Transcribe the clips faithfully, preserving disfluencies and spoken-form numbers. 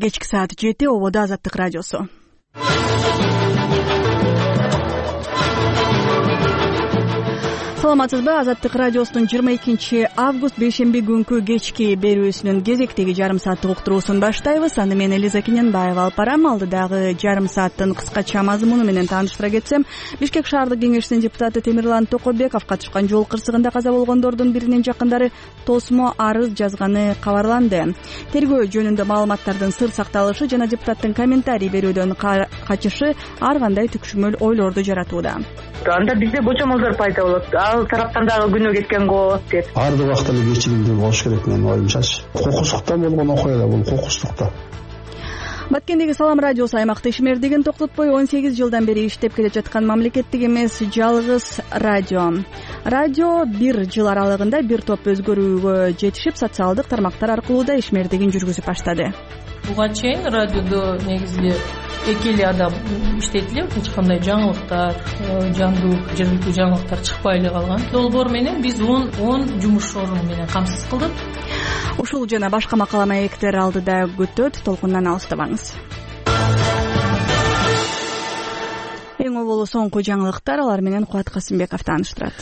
кечки саат жети, ободо Азаттык радиосу. Саламатсызбы? Азаттык радиосунун жыйырма экинчи август бейшемби күнкү кечки берүүсүнүн кезектеги жарым сааттык уктуруусун баштайбыз. Аны мен Элиза Кененбаева алып барам. Алдыдагы жарым сааттын кыскача мазмуну менен тааныштыра кетсем, Бишкек шаардык кеңешинин депутаты Темирлан Токобеков катышкан жол кырсыгында каза болгондордун биринин жакындары тосмо арыз жазганы кабарланды. Тергөө жөнүндө маалыматтардын сыр сакталышы жана депутаттын комментарий берүүдөн качышы ар кандай түкшүмөл ойлорду жаратууда. Анда бизде бочомолдор пайда болот. Ал тараптан дагы күнөө кеткен го деп. Ар убакта эле кечиримдүү болуш керек менин оюмчачы. Кокустукта болгон окуя да бул кокустукта. Баткендеги Салам радиосу аймакта ишмердигин токтотпой он сегиз жылдан бери иштеп келе жаткан мамлекеттик эмес жалгыз радио. Радио бир жыл аралыгында бир топ өзгөрүүгө жетишип, социалдык тармактар аркылуу да ишмердигин жүргүзүп баштады. Буга чейин радиодо негизги эки эле адам иштейт эле, эч кандай жаңылыктар, жандуу жергиликтүү жаңылыктар чыкпай эле калган. Долбоор менен биз он жумуш орун менен камсыз кылдык. Ушул жана башка макала маектер алдыда күтөт, толкундан алыстабаңыз. Эң оболу соңку жаңылыктар, алар менен Кубат Касымбеков тааныштырат.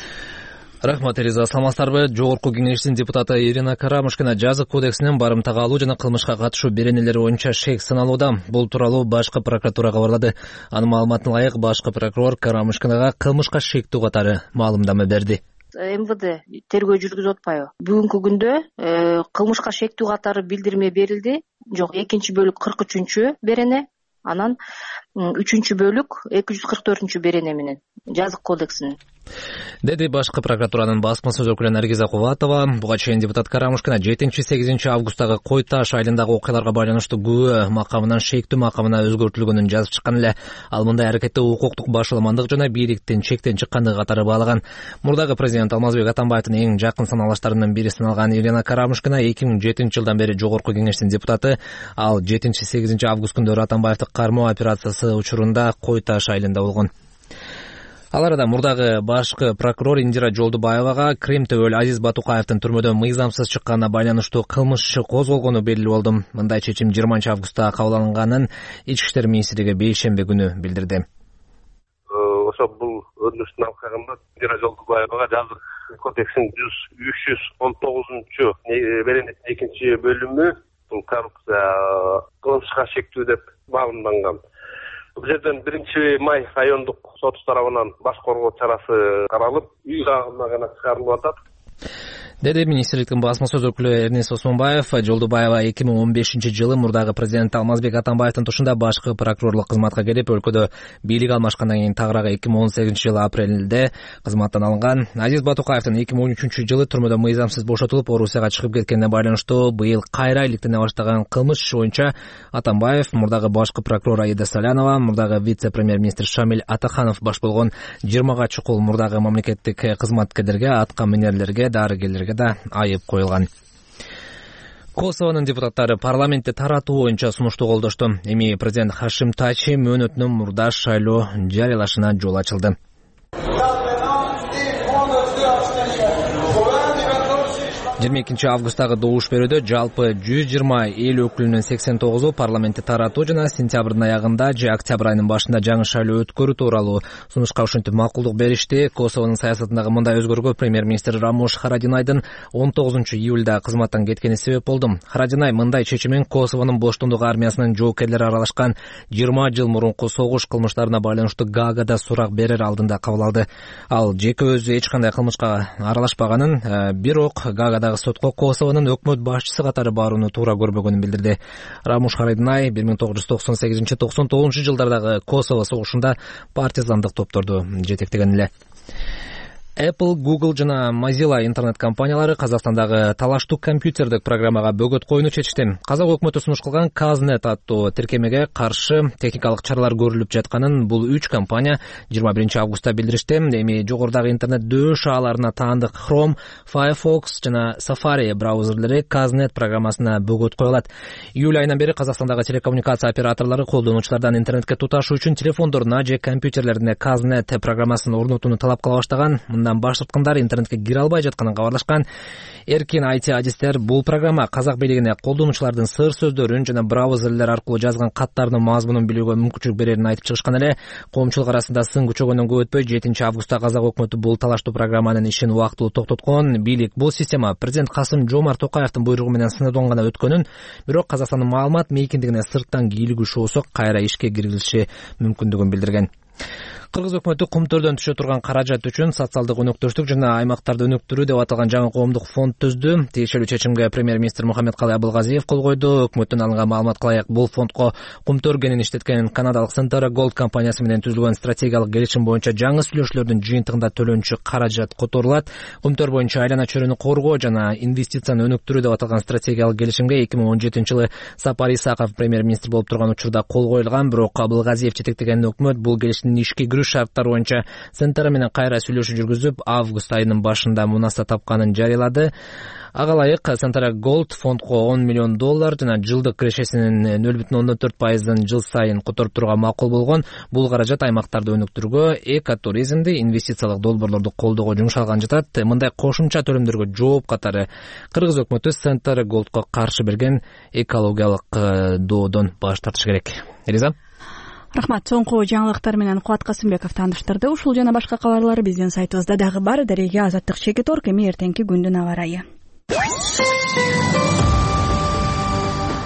Рахмат, Элиза. Саламатсыздарбы? Жогорку кеңештин депутаты Ирина Карамушкина жазык кодексинин барымтага алуу жана кылмышка катышуу беренелери боюнча шек саналууда. Бул тууралуу башкы прокуратура кабарлады. Анын маалыматына ылайык башкы прокурор Карамушкинага кылмышка шектүү катары маалымдама берди. эм вэ дэ тергөө жүргүзүп атпайбы? Бүгүнкү күндө кылмышка шектүү катары билдирме берилди. Жок, экинчи бөлүк кырк үчүнчү берене, анан үчүнчү бөлүк эки жүз кырк төртүнчү берене менен жазык кодексинин. Деди башкы прокуратуранын басма сөз өкүлү Наргиза Кубатова. Буга чейин депутат Карамушкина жетинчи-сегизинчи августтагы Кой Таш айылындагы окуяларга байланыштуу күбө макамынан шектүү макамына өзгөртүлгөнүн жазып чыккан эле. Ал мындай аракетти укуктук башаламандык жана бийликтин чектен чыккандыгы катары баалаган. Мурдагы президент Алмазбек Атамбаевдин эң жакын саналаштарынын бири саналган Ирина Карамушкина эки миң жетинчи жылдан бери жогорку кеңештин депутаты. Ал жетинчи-сегизинчи август күндөрү Атамбаевди кармоо операциясы учурунда Кой Таш айылында болгон. Ал арада мурдагы башкы прокурор Индира Жолдубаевага Крем төбөл Азиз Батукаевдин түрмөдөн мыйзамсыз чыкканына байланыштуу кылмыш иши козголгону белгилүү болду. Мындай чечим жыйырманчы августта кабыл алынганын Ички иштер министрлиги бейшемби күнү билдирди. Ошо бул өндүрүштүн алкагында Индира Жолдубаевага жазык кодексинин үч жүз он тогузунчу беренесинин экинчи бөлүмү бул коррупция кылмышка шектүү деп маалымданган. Бул жерден биринчи май райондук соту тарабынан баш коргоо чарасы каралып, үй жагына гана чыгарылып атат. Деди министрликтин басма сөз өкүлү Эрнис Осмонбаев. Жолдубаева эки миң он бешинчи жылы мурдагы президент Алмазбек Атамбаевдин тушунда башкы прокурорлук кызматка келип, өлкөдө бийлик алмашкандан кийин тагыраагы эки миң он сегизинчи жылы апрелде кызматтан алынган. Азиз Батукаевдин эки миң он үчүнчү жылы түрмөдөн мыйзамсыз бошотулуп, Орусияга чыгып кеткенине байланыштуу быйыл кайра иликтене баштаган кылмыш иши боюнча Атамбаев, мурдагы башкы прокурор Аида Салянова, мурдагы вице-премьер-министр Шамиль Атаханов баш болгон жыйырмага чукул мурдагы мамлекеттик кызматкерлерге, атка минерлерге, дарыгерлерге да айып коюлган. Косовонун депутаттары парламентте таратуу боюнча сунушту колдошту. Эми президент Хашим Тачи мөөнөтүнөн мурда шайлоо жарыялашына жол ачылды. жыйырма экинчи августтагы добуш берүүдө жалпы жүз жыйырма эл өкүлүнүн сексен тогузу парламентте таратуу жана сентябрдын аягында же октябрь айынын башында жаңы шайлоо өткөрүү тууралуу сунушка ушинтип макулдук беришти. Косовонун саясатындагы мындай өзгөрүүгө премьер-министр Рамош Харадинайдын он тогузунчу июлда кызматтан кеткени себеп болду. Харадинай мындай чечимин Косовонун боштондук армиясынын жоокерлери аралашкан жыйырма жыл мурунку согуш кылмыштарына байланыштуу Гаагада сурак берер алдында кабыл алды. Ал жеке өзү эч кандай кылмышка аралашпаганын, бирок Гаагада сотко Косовонун өкмөт башчысы катары барууну туура көрбөгөнүн билдирди. Рамуш Харадинай бир миң тогуз жүз токсон сегизинчи токсон тогузунчу жылдардагы Косово согушунда партизандык топторду жетектеген эле. Apple, Google жана Mozilla интернет компаниялары Казакстандагы талаштуу компьютердик программага бөгөт коюуну чечти. Казак өкмөтү сунуш кылган Казнет аттуу тиркемеге каршы техникалык чаралар көрүлүп жатканын бул үч компания жыйырма биринчи августта билдиришти. Эми жогорудагы интернет дөш шааларына таандык Chrome, Firefox жана Safari браузерлери Казнет программасына бөгөт коюлат. Июль айынан бери Казакстандагы телекоммуникация операторлору колдонуучулардан интернетке туташуу үчүн телефондоруна же компьютерлерине Казнет программасын орнотууну талап кыла баштаган. мындан баш тарткандар интернетке кире албай жатканын кабарлашкан. Эркин ай ти адистер бул программа казак бийлигине колдонуучулардын сыр сөздөрүн жана браузерлер аркылуу жазган каттардын мазмунун билүүгө мүмкүнчүлүк берерин айтып чыгышкан эле. Коомчулук арасында сын күчөгөндөн көп өтпөй жетинчи августта казак өкмөтү бул талаштуу программанын ишин убактылуу токтоткон. Бийлик бул система президент Касым Жомарт Токаевдин буйругу менен сыноодон гана өткөнүн, бирок Казакстандын маалымат мейкиндигине сырттан кийлигүүчү болсо кайра ишке киргизилиши мүмкүндүгүн билдирген. Кыргыз өкмөтү Кумтөрдөн түшө турган каражат үчүн социалдык өнөктөштүк жана аймактарды өнүктүрүү деп аталган жаңы коомдук фонд түздү. Тиешелүү чечимге премьер-министр Мухаммедкалый Абылгазиев кол койду. Өкмөттөн алынган маалыматка ылайык бул фондко Кумтөр кенин иштеткен канадалык Centara Gold компаниясы менен түзүлгөн стратегиялык келишим боюнча жаңы сүйлөшүүлөрдүн жыйынтыгында төлөнчү каражат которулат. Кумтөр боюнча айлана чөйрөнү коргоо жана инвестицияны өнүктүрүү деп аталган стратегиялык келишимге эки миң он жетинчи жылы Сапар Исаков премьер-министр болуп турган учурда кол коюлган, бирок Абылгазиев жетектеген өкмөт бул келишимдин ишке кирүү шарттары боюнча Centara менен кайра сүйлөшүү жүргүзүп, август айынын башында мунаса тапканын жарыялады. Ага ылайык Centara Gold фондко он миллион доллар жана жылдык кирешесинин нөл бүтүн ондон төрт пайызын жыл сайын которуп турууга макул болгон. Бул каражат аймактарды өнүктүрүүгө, экотуризмди, инвестициялык долбоорлорду колдоого жумшалган жатат. Мындай кошумча төлөмдөргө жооп катары Кыргыз өкмөтү Centara Goldко каршы берген экологиялык доодон баш тартышы керек. Элиза. Рахмат. Соңку жаңылыктар менен Кубат Касымбеков тааныштырды. Ушул жана башка кабарлар биздин сайтыбызда дагы бар. Дареге Азаттык Чекиторг. Эми эртеңки күндүн аба ырайы.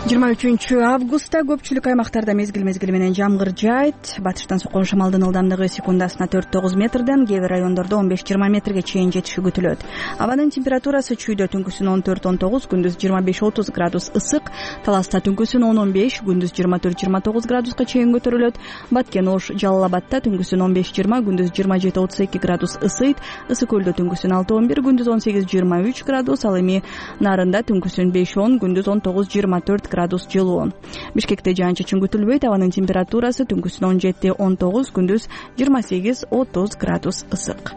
жыйырма үчүнчү августта көпчүлүк аймактарда мезгил мезгили менен жамгыр жаайт. Батыштан соккон шамалдын ылдамдыгы секундасына төрт тогуз метрден, кээ бир райондордо он беш жыйырма метрге чейин жетиши күтүлөт. Абанын температурасы чүйдө түнкүсүн он төрт он тогуз, күндүз жыйырма беш отуз градус ысык, Таласта түнкүсүн он он беш, күндүз жыйырма төрт жыйырма тогуз градуска чейин көтөрүлөт. Баткен Ош Жалал Абадта түнкүсүн он беш жыйырма, күндүз жыйырма жети отуз эки градус ысыйт. Ысык Көлдө түнкүсүн алты он бир, күндүз он сегиз жыйырма үч градус, ал эми Нарында түнкүсүн беш он, күндүз он тогуз жыйырма төрт градус жылуу. Бишкекте жаан-чачын күтүлбөйт. Абанын температурасы түнкүсүн он жети он тогуз, күндүз жыйырма сегиз отуз градус ысык.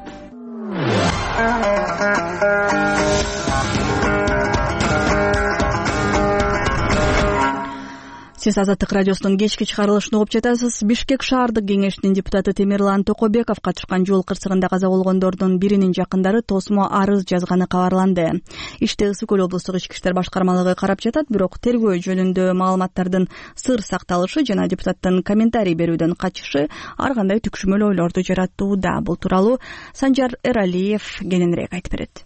Сиз Азаттык радиосунун кечки чыгарылышын угуп жатасыз. Бишкек шаардык кеңешинин депутаты Темирлан Токобеков катышкан жол кырсыгында каза болгондордун биринин жакындары тосмо арыз жазганы кабарланды. Ишти Ысык Көл облустук ички иштер башкармалыгы карап жатат, бирок тергөө жөнүндө маалыматтардын сыр сакталышы жана депутаттын комментарий берүүдөн качышы ар кандай түкшүмөл ойлорду жаратууда. Бул тууралуу Санжар Эралиев кененирээк айтып берет.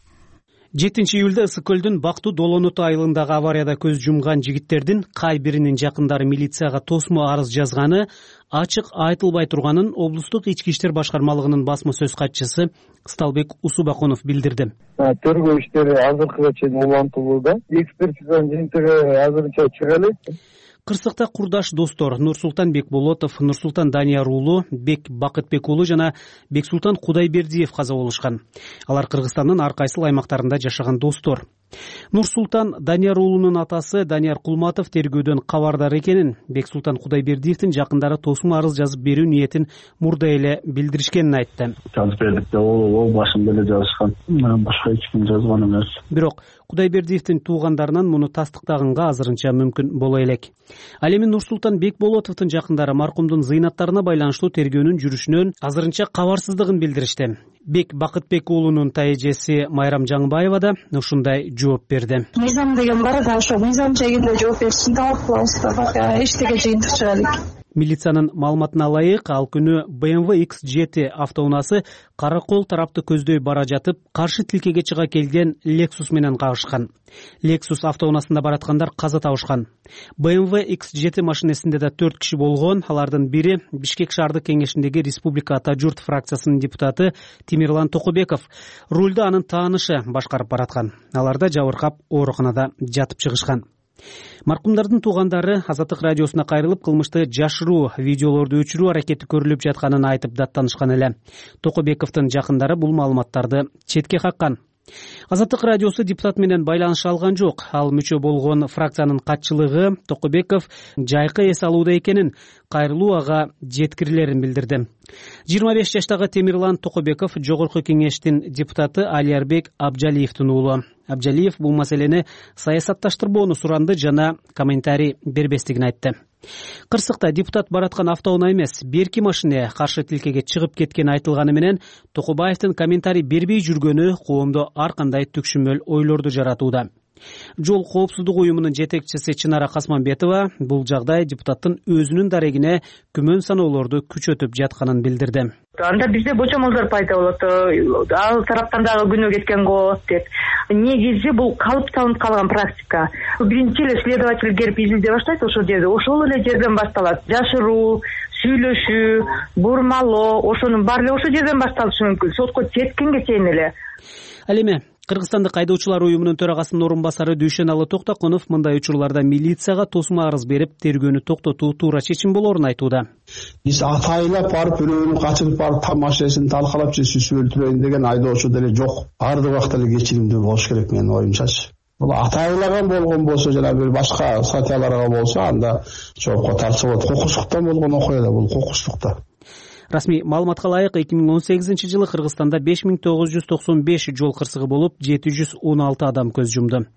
жетинчи июлда Ысык Көлдүн Бактуу Долонут айылындагы аварияда көз жумган жигиттердин кай биринин жакындары милицияга тосмо арыз жазганы ачык айтылбай турганын облустук ички иштер башкармалыгынын басма сөз катчысы Сталбек Усубаконов билдирди. Тергөө иштери азыркыга чейин улантылууда. Экспертизанын жыйынтыгы азырынча чыга элек. Кырсыкта курдаш достор Нурсултан Бекболотов, Нурсултан Данияр уулу, Бек Бакытбек уулу жана Бексултан Кудайбердиев каза болушкан. Алар Кыргызстандын ар кайсыл аймактарында жашаган достор. Нурсултан Данияр уулунун атасы Данияр Кулматов тергөөдөн кабардар экенин, Бексултан Кудайбердиевдин жакындары тосмо арыз жазып берүү ниетин мурда эле билдиришкенин айтты. Жазып бердик да, ол башында эле жазышкан. Башка эч ким жазган эмес. Бирок Кудайбердиевдин туугандарынан муну тастыктаганга азырынча мүмкүн боло элек. Ал эми Нурсултан Бекболотовдун жакындары маркумдун зыйнаттарына байланыштуу тергөөнүн жүрүшүнөн азырынча кабарсыздыгын билдиришти. Бек Бакытбек уулунун тайэжеси Майрам Жаңбаева да ушундай жооп берди. Мыйзам деген бар да, ошо мыйзам жайында жооп беришин талап кылабыз да, эчтеке жыйынтык чыга элек. Милициянын маалыматына ылайык, ал күнү бэ эм вэ икс жети автоунаасы Каракол тарапты көздөй бара жатып, каршы тилкеге чыга келген Lexus менен кагышкан. Lexus автоунаасында бараткандар каза табышкан. бэ эм вэ икс жети машинесинде да төрт киши болгон. Алардын бири Бишкек шаардык кеңешиндеги Республика Ата журт фракциясынын депутаты Темирлан Токобеков. Рулда анын таанышы башкарып бараткан. Алар да жабыркап ооруканада жатып чыгышкан. Маркумдардын туугандары Азаттык радиосуна кайрылып, кылмышты жашыруу видеолорду өчүрүү аракети көрүлүп жатканын айтып даттанышкан эле. Токобековдун жакындары бул маалыматтарды четке каккан. Азаттык радиосу депутат менен байланыша алган жок. Ал мүчө болгон фракциянын катчылыгы Токобеков жайкы эс алууда экенин, кайрылуу ага жеткирилерин билдирди. жыйырма беш жаштагы Темирлан Токобеков жогорку кеңештин депутаты Алиярбек Абжалиевдин уулу. Абжалиев бул маселени саясатташтырбоону суранды жана комментарий бербестигин айтты. Кырсыкта депутат бараткан автоунаа эмес, берки машине каршы тилкеге чыгып кеткени айтылганы менен Токубаевдин комментарий бербей жүргөнү коомдо ар кандай түкшүмөл ойлорду жаратууда. Жол коопсуздук уюмунун жетекчиси Чынара Касманбетова бул жагдай депутаттын өзүнүн дарегине күмөн саноолорду күчөтүп жатканын билдирди. Анда бизде бочомолдор пайда болот. Ал тараптан дагы күнөө кеткен го деп. Негизи бул калыптанып калган практика. Биринчи эле следователь келип изилдей баштайт ошол жерде. Ошол эле жерден башталат. Жашыруу, сүйлөшүү, бурмалоо, ошонун баары эле ошол жерден башталышы мүмкүн. Сотко жеткенге чейин эле. Ал эми Кыргызстандык айдоочулар уюмунун төрагасынын орун басары Дүйшөналы Токтоконов мындай учурларда милицияга тосмо арыз берип, тергөөнү токтотуу туура чечим болоорун айтууда. Биз атайлап барып бирөөнү качырып барып машинесин талкалап же сүзүп өлтүрөйүн деген айдоочу деле жок. Ар убакта эле кечиримдүү болуш керек менин оюмчачы. Бул атайлаган болгон болсо жана бир башка статьяларга болсо анда жоопко тартса болот. Кокустуктан болгон окуя да бул кокустукта. Расмий маалыматка ылайык эки миң он сегизинчи жылы Кыргызстанда беш миң тогуз жүз токсон беш жол кырсыгы болуп, жети жүз он алты адам көз жумду.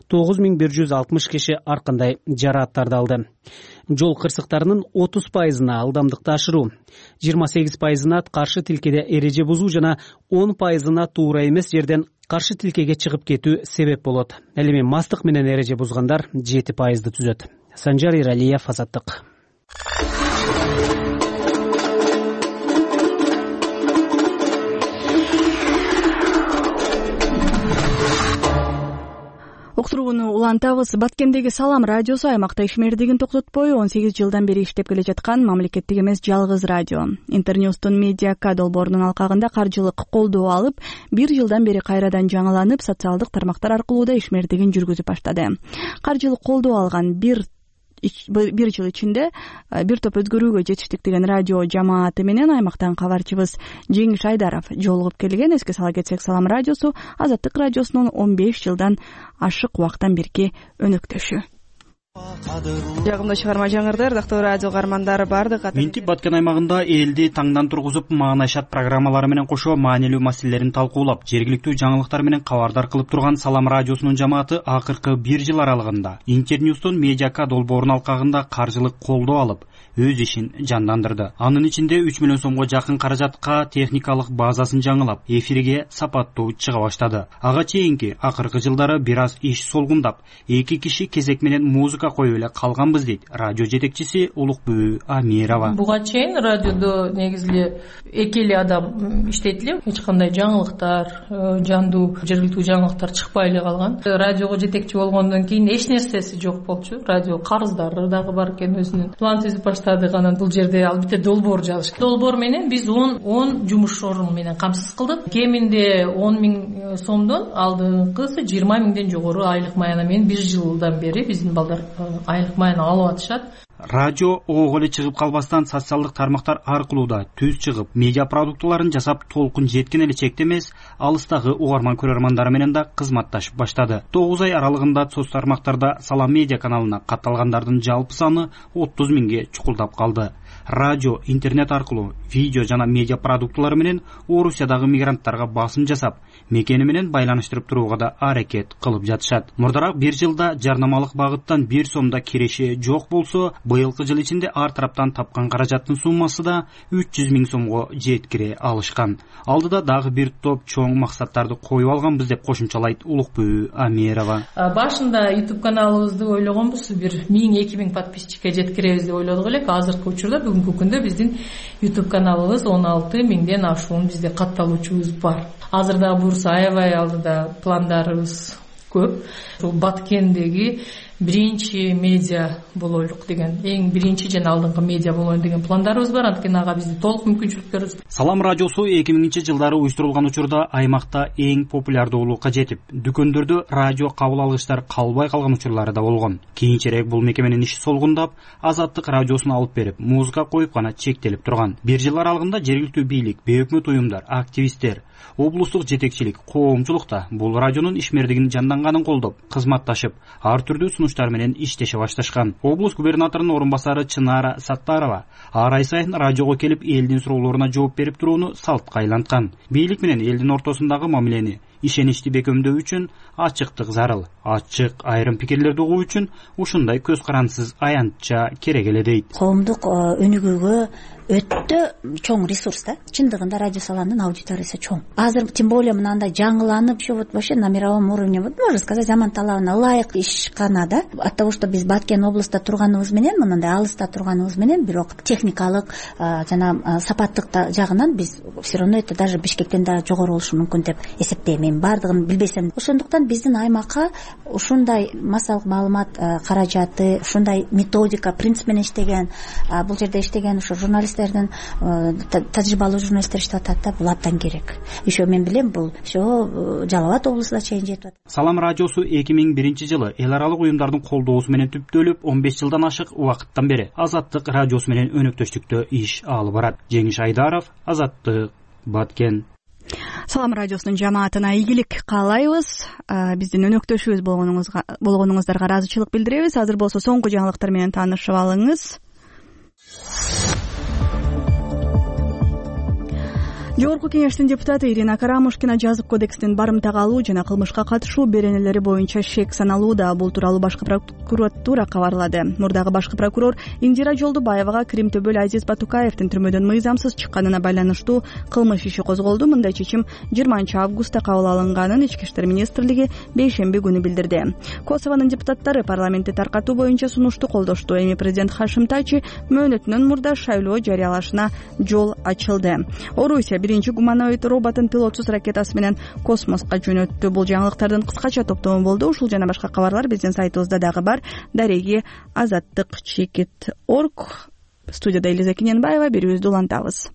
тогуз миң бир жүз алтымыш киши ар кандай жарааттарды алды. Жол кырсыктарынын отуз пайызына ылдамдыкты ашыруу, жыйырма сегиз пайызына каршы тилкеде эреже бузуу жана он пайызына туура эмес жерден каршы тилкеге чыгып кетүү себеп болот. Ал эми мастык менен эреже бузгандар жети пайызды түзөт. Санжар Иралиев, Азаттык. Уктурууну улантабыз. Баткендеги Салам радиосу аймакта ишмердигин токтотпой он сегиз жылдан бери иштеп келе жаткан мамлекеттик эмес жалгыз радио. Интерньюстун Медиака долбоорунун алкагында каржылык колдоо алып, бир жылдан бери кайрадан жаңыланып, социалдык тармактар аркылуу да ишмердигин жүргүзүп баштады. Каржылык колдоо алган бир бир жыл ичинде бир топ өзгөрүүгө жетиштик деген радио жамааты менен аймактан кабарчыбыз Жеңиш Айдаров жолугуп келген. Эске сала кетсек, Салам радиосу Азаттык радиосунун он беш жылдан ашык убакыттан берки өнөктөшү. Жагымдуу чыгарма жаңырды, ырдактуу радио каармандары бардык. Минтип Баткен аймагында элди таңдан тургузуп, маанайшат программалары менен кошо маанилүү маселелерин талкуулап, жергиликтүү жаңылыктар менен кабардар кылып турган Салам радиосунун жамааты акыркы бир жыл аралыгында Интерньюстун Медиака долбоорунун алкагында каржылык колдоо алып, өз ишин жандандырды. Анын ичинде үч миллион сомго жакын каражатка техникалык базасын жаңылап, эфирге сапаттуу чыга баштады. Ага чейинки акыркы жылдары бир аз иш солгундап, эки киши кезек менен музыка коюп эле калганбыз дейт радио жетекчиси Улукбүү Амирова. Буга чейин радиодо негизи эки эле адам иштейт эле, эч кандай жаңылыктар, жандуу жергиликтүү жаңылыктар чыкпай эле калган. Радиого жетекчи болгондон кийин эч нерсеси жок болчу. Радио карыздары дагы бар экен өзүнүн. План түзүп баштадык. Анан бул жерде албетте долбоор жазыш. Долбоор менен биз он жумуш орун менен камсыз кылдык. Кеминде он миң сомдон, алдыңкысы жыйырма миңден жогору айлык маяна менен бир жылдан бери биздин балдар айлык маяна алып атышат. Радио ого эле чыгып калбастан социалдык тармактар аркылуу да түз чыгып, медиа продуктуларын жасап, толкун жеткен эле чекте эмес, алыстагы угарман көрөрмандары менен да кызматташып баштады. тогуз ай аралыгында соц тармактарда Салам медиа каналына катталгандардын жалпы саны отуз миңге чукулдап калды. Радио, интернет аркылуу видео жана медиа продуктулары менен Орусиядагы мигранттарга басым жасап, мекени менен байланыштырып турууга да аракет кылып жатышат. Мурдараак бир жылда жарнамалык багыттан бир сомда киреше жок болсо, быйылкы жыл ичинде ар тараптан тапкан каражаттын суммасы да үч жүз миң сомго жеткире алышкан. Алдыда дагы бир топ чоң максаттарды коюп алганбыз деп кошумчалайт Улукбүү Амирова. Башында YouTube каналыбызды ойлогонбуз, бир миң эки миң подписчикке жеткиребиз деп ойлодук элек. Азыркы учурда бүгүнкү күндө биздин YouTube каналыбыз он алты миңден ашуун бизде катталуучубуз бар. Азырда бурса аябай алдыда пландарыбыз көп. Баткендеги биринчи медиа болойлук деген, эң биринчи жана алдыңкы медиа болоюн деген пландарыбыз бар. Анткени ага бизде толук мүмкүнчүлүктөр. Салам радиосу эки миңинчи жылдары уюштурулган учурда аймакта эң популярдуулукка жетип, дүкөндөрдө радио кабыл алгычтар калбай калган учурлары да болгон. Кийинчерээк бул мекеменин иши солгундап, Азаттык радиосун алып берип, музыка коюп гана чектелип турган. Бир жыл аралыгында жергиликтүү бийлик, бейөкмөт уюмдар, активисттер, облустук жетекчилик, коомчулукта бул радионун ишмердигин жанданганын колдоп, кызматташып, ар түрдүү сунуштар менен иштеше башташкан. Облус губернаторунун орун басары Чынара Саттарова ар ай сайын радиого келип элдин суроолоруна жооп берип турууну салтка айланткан. Бийлик менен элдин ортосундагы мамилени ишеничти бекемдөө үчүн ачыктык зарыл. Ачык айрым пикирлерди угуу үчүн ушундай көз карансыз аянтча керек эле дейт. Коомдук өнүгүүгө өтө чоң ресурс да. Чындыгында радио салонунун аудиториясы чоң. Азыр тем более мынандай жаңыланып, еще вот вообще на мировом уровне, вот можно сказать, заман талабына ылайык ишкана да. От того, что биз Баткен областта турганыбыз менен, мындай алыста турганыбыз менен, бирок техникалык жана сапаттык жагынан биз все равно это даже Бишкектен да жогору болушу мүмкүн деп эсептейм. Мен бардыгын билбесем. Ошондуктан биздин аймакка ушундай массалык маалымат каражаты, ушундай методика, принцип менен иштеген, бул жерде иштеген ошо журналист тажрыйбалуу журналисттер иштеп атат да, бул абдан керек. Еще мен билем, бул еще Жалал Абад облусуна чейин жетип атат. Салам радиосу эки миң биринчи жылы эл аралык уюмдардын колдоосу менен түптөлүп, он беш жылдан ашык убакыттан бери Азаттык радиосу менен өнөктөштүктө иш алып барат. Жеңиш Айдаров, Азаттык, Баткен. Салам радиосунун жамаатына ийгилик каалайбыз. Биздин өнөктөшүбүз болгонуңуздарга ыраазычылык билдиребиз. Азыр болсо соңку жаңылыктар менен таанышып алыңыз. Жогорку кеңештин депутаты Ирина Карамушкина жазык кодекстин барымтага алуу жана кылмышка катышуу беренелери боюнча шек саналууда. Бул тууралуу башкы прокуратура кабарлады. Мурдагы башкы прокурор Индира Жолдубаевага Крим төбөлү Азиз Батукаевдин түрмөдөн мыйзамсыз чыкканына байланыштуу кылмыш иши козголду. Мындай чечим жыйырманчы августта кабыл алынганын Ички иштер министрлиги бейшемби күнү билдирди. Косованын депутаттары парламентти таркатуу боюнча сунушту колдошту. Эми президент Хашим Тачи мөөнөтүнөн мурда шайлоо жарыялашына жол ачылды. Орусия биринчи гуманоид роботун пилотсуз ракетасы менен космоска жөнөттү. Бул жаңылыктардын кыскача топтому болду. Ушул жана башка кабарлар биздин сайтыбызда дагы бар. Дареги азаттык чекит точка орг. Студияда Элиза Кененбаева, берүүбүздү улантабыз.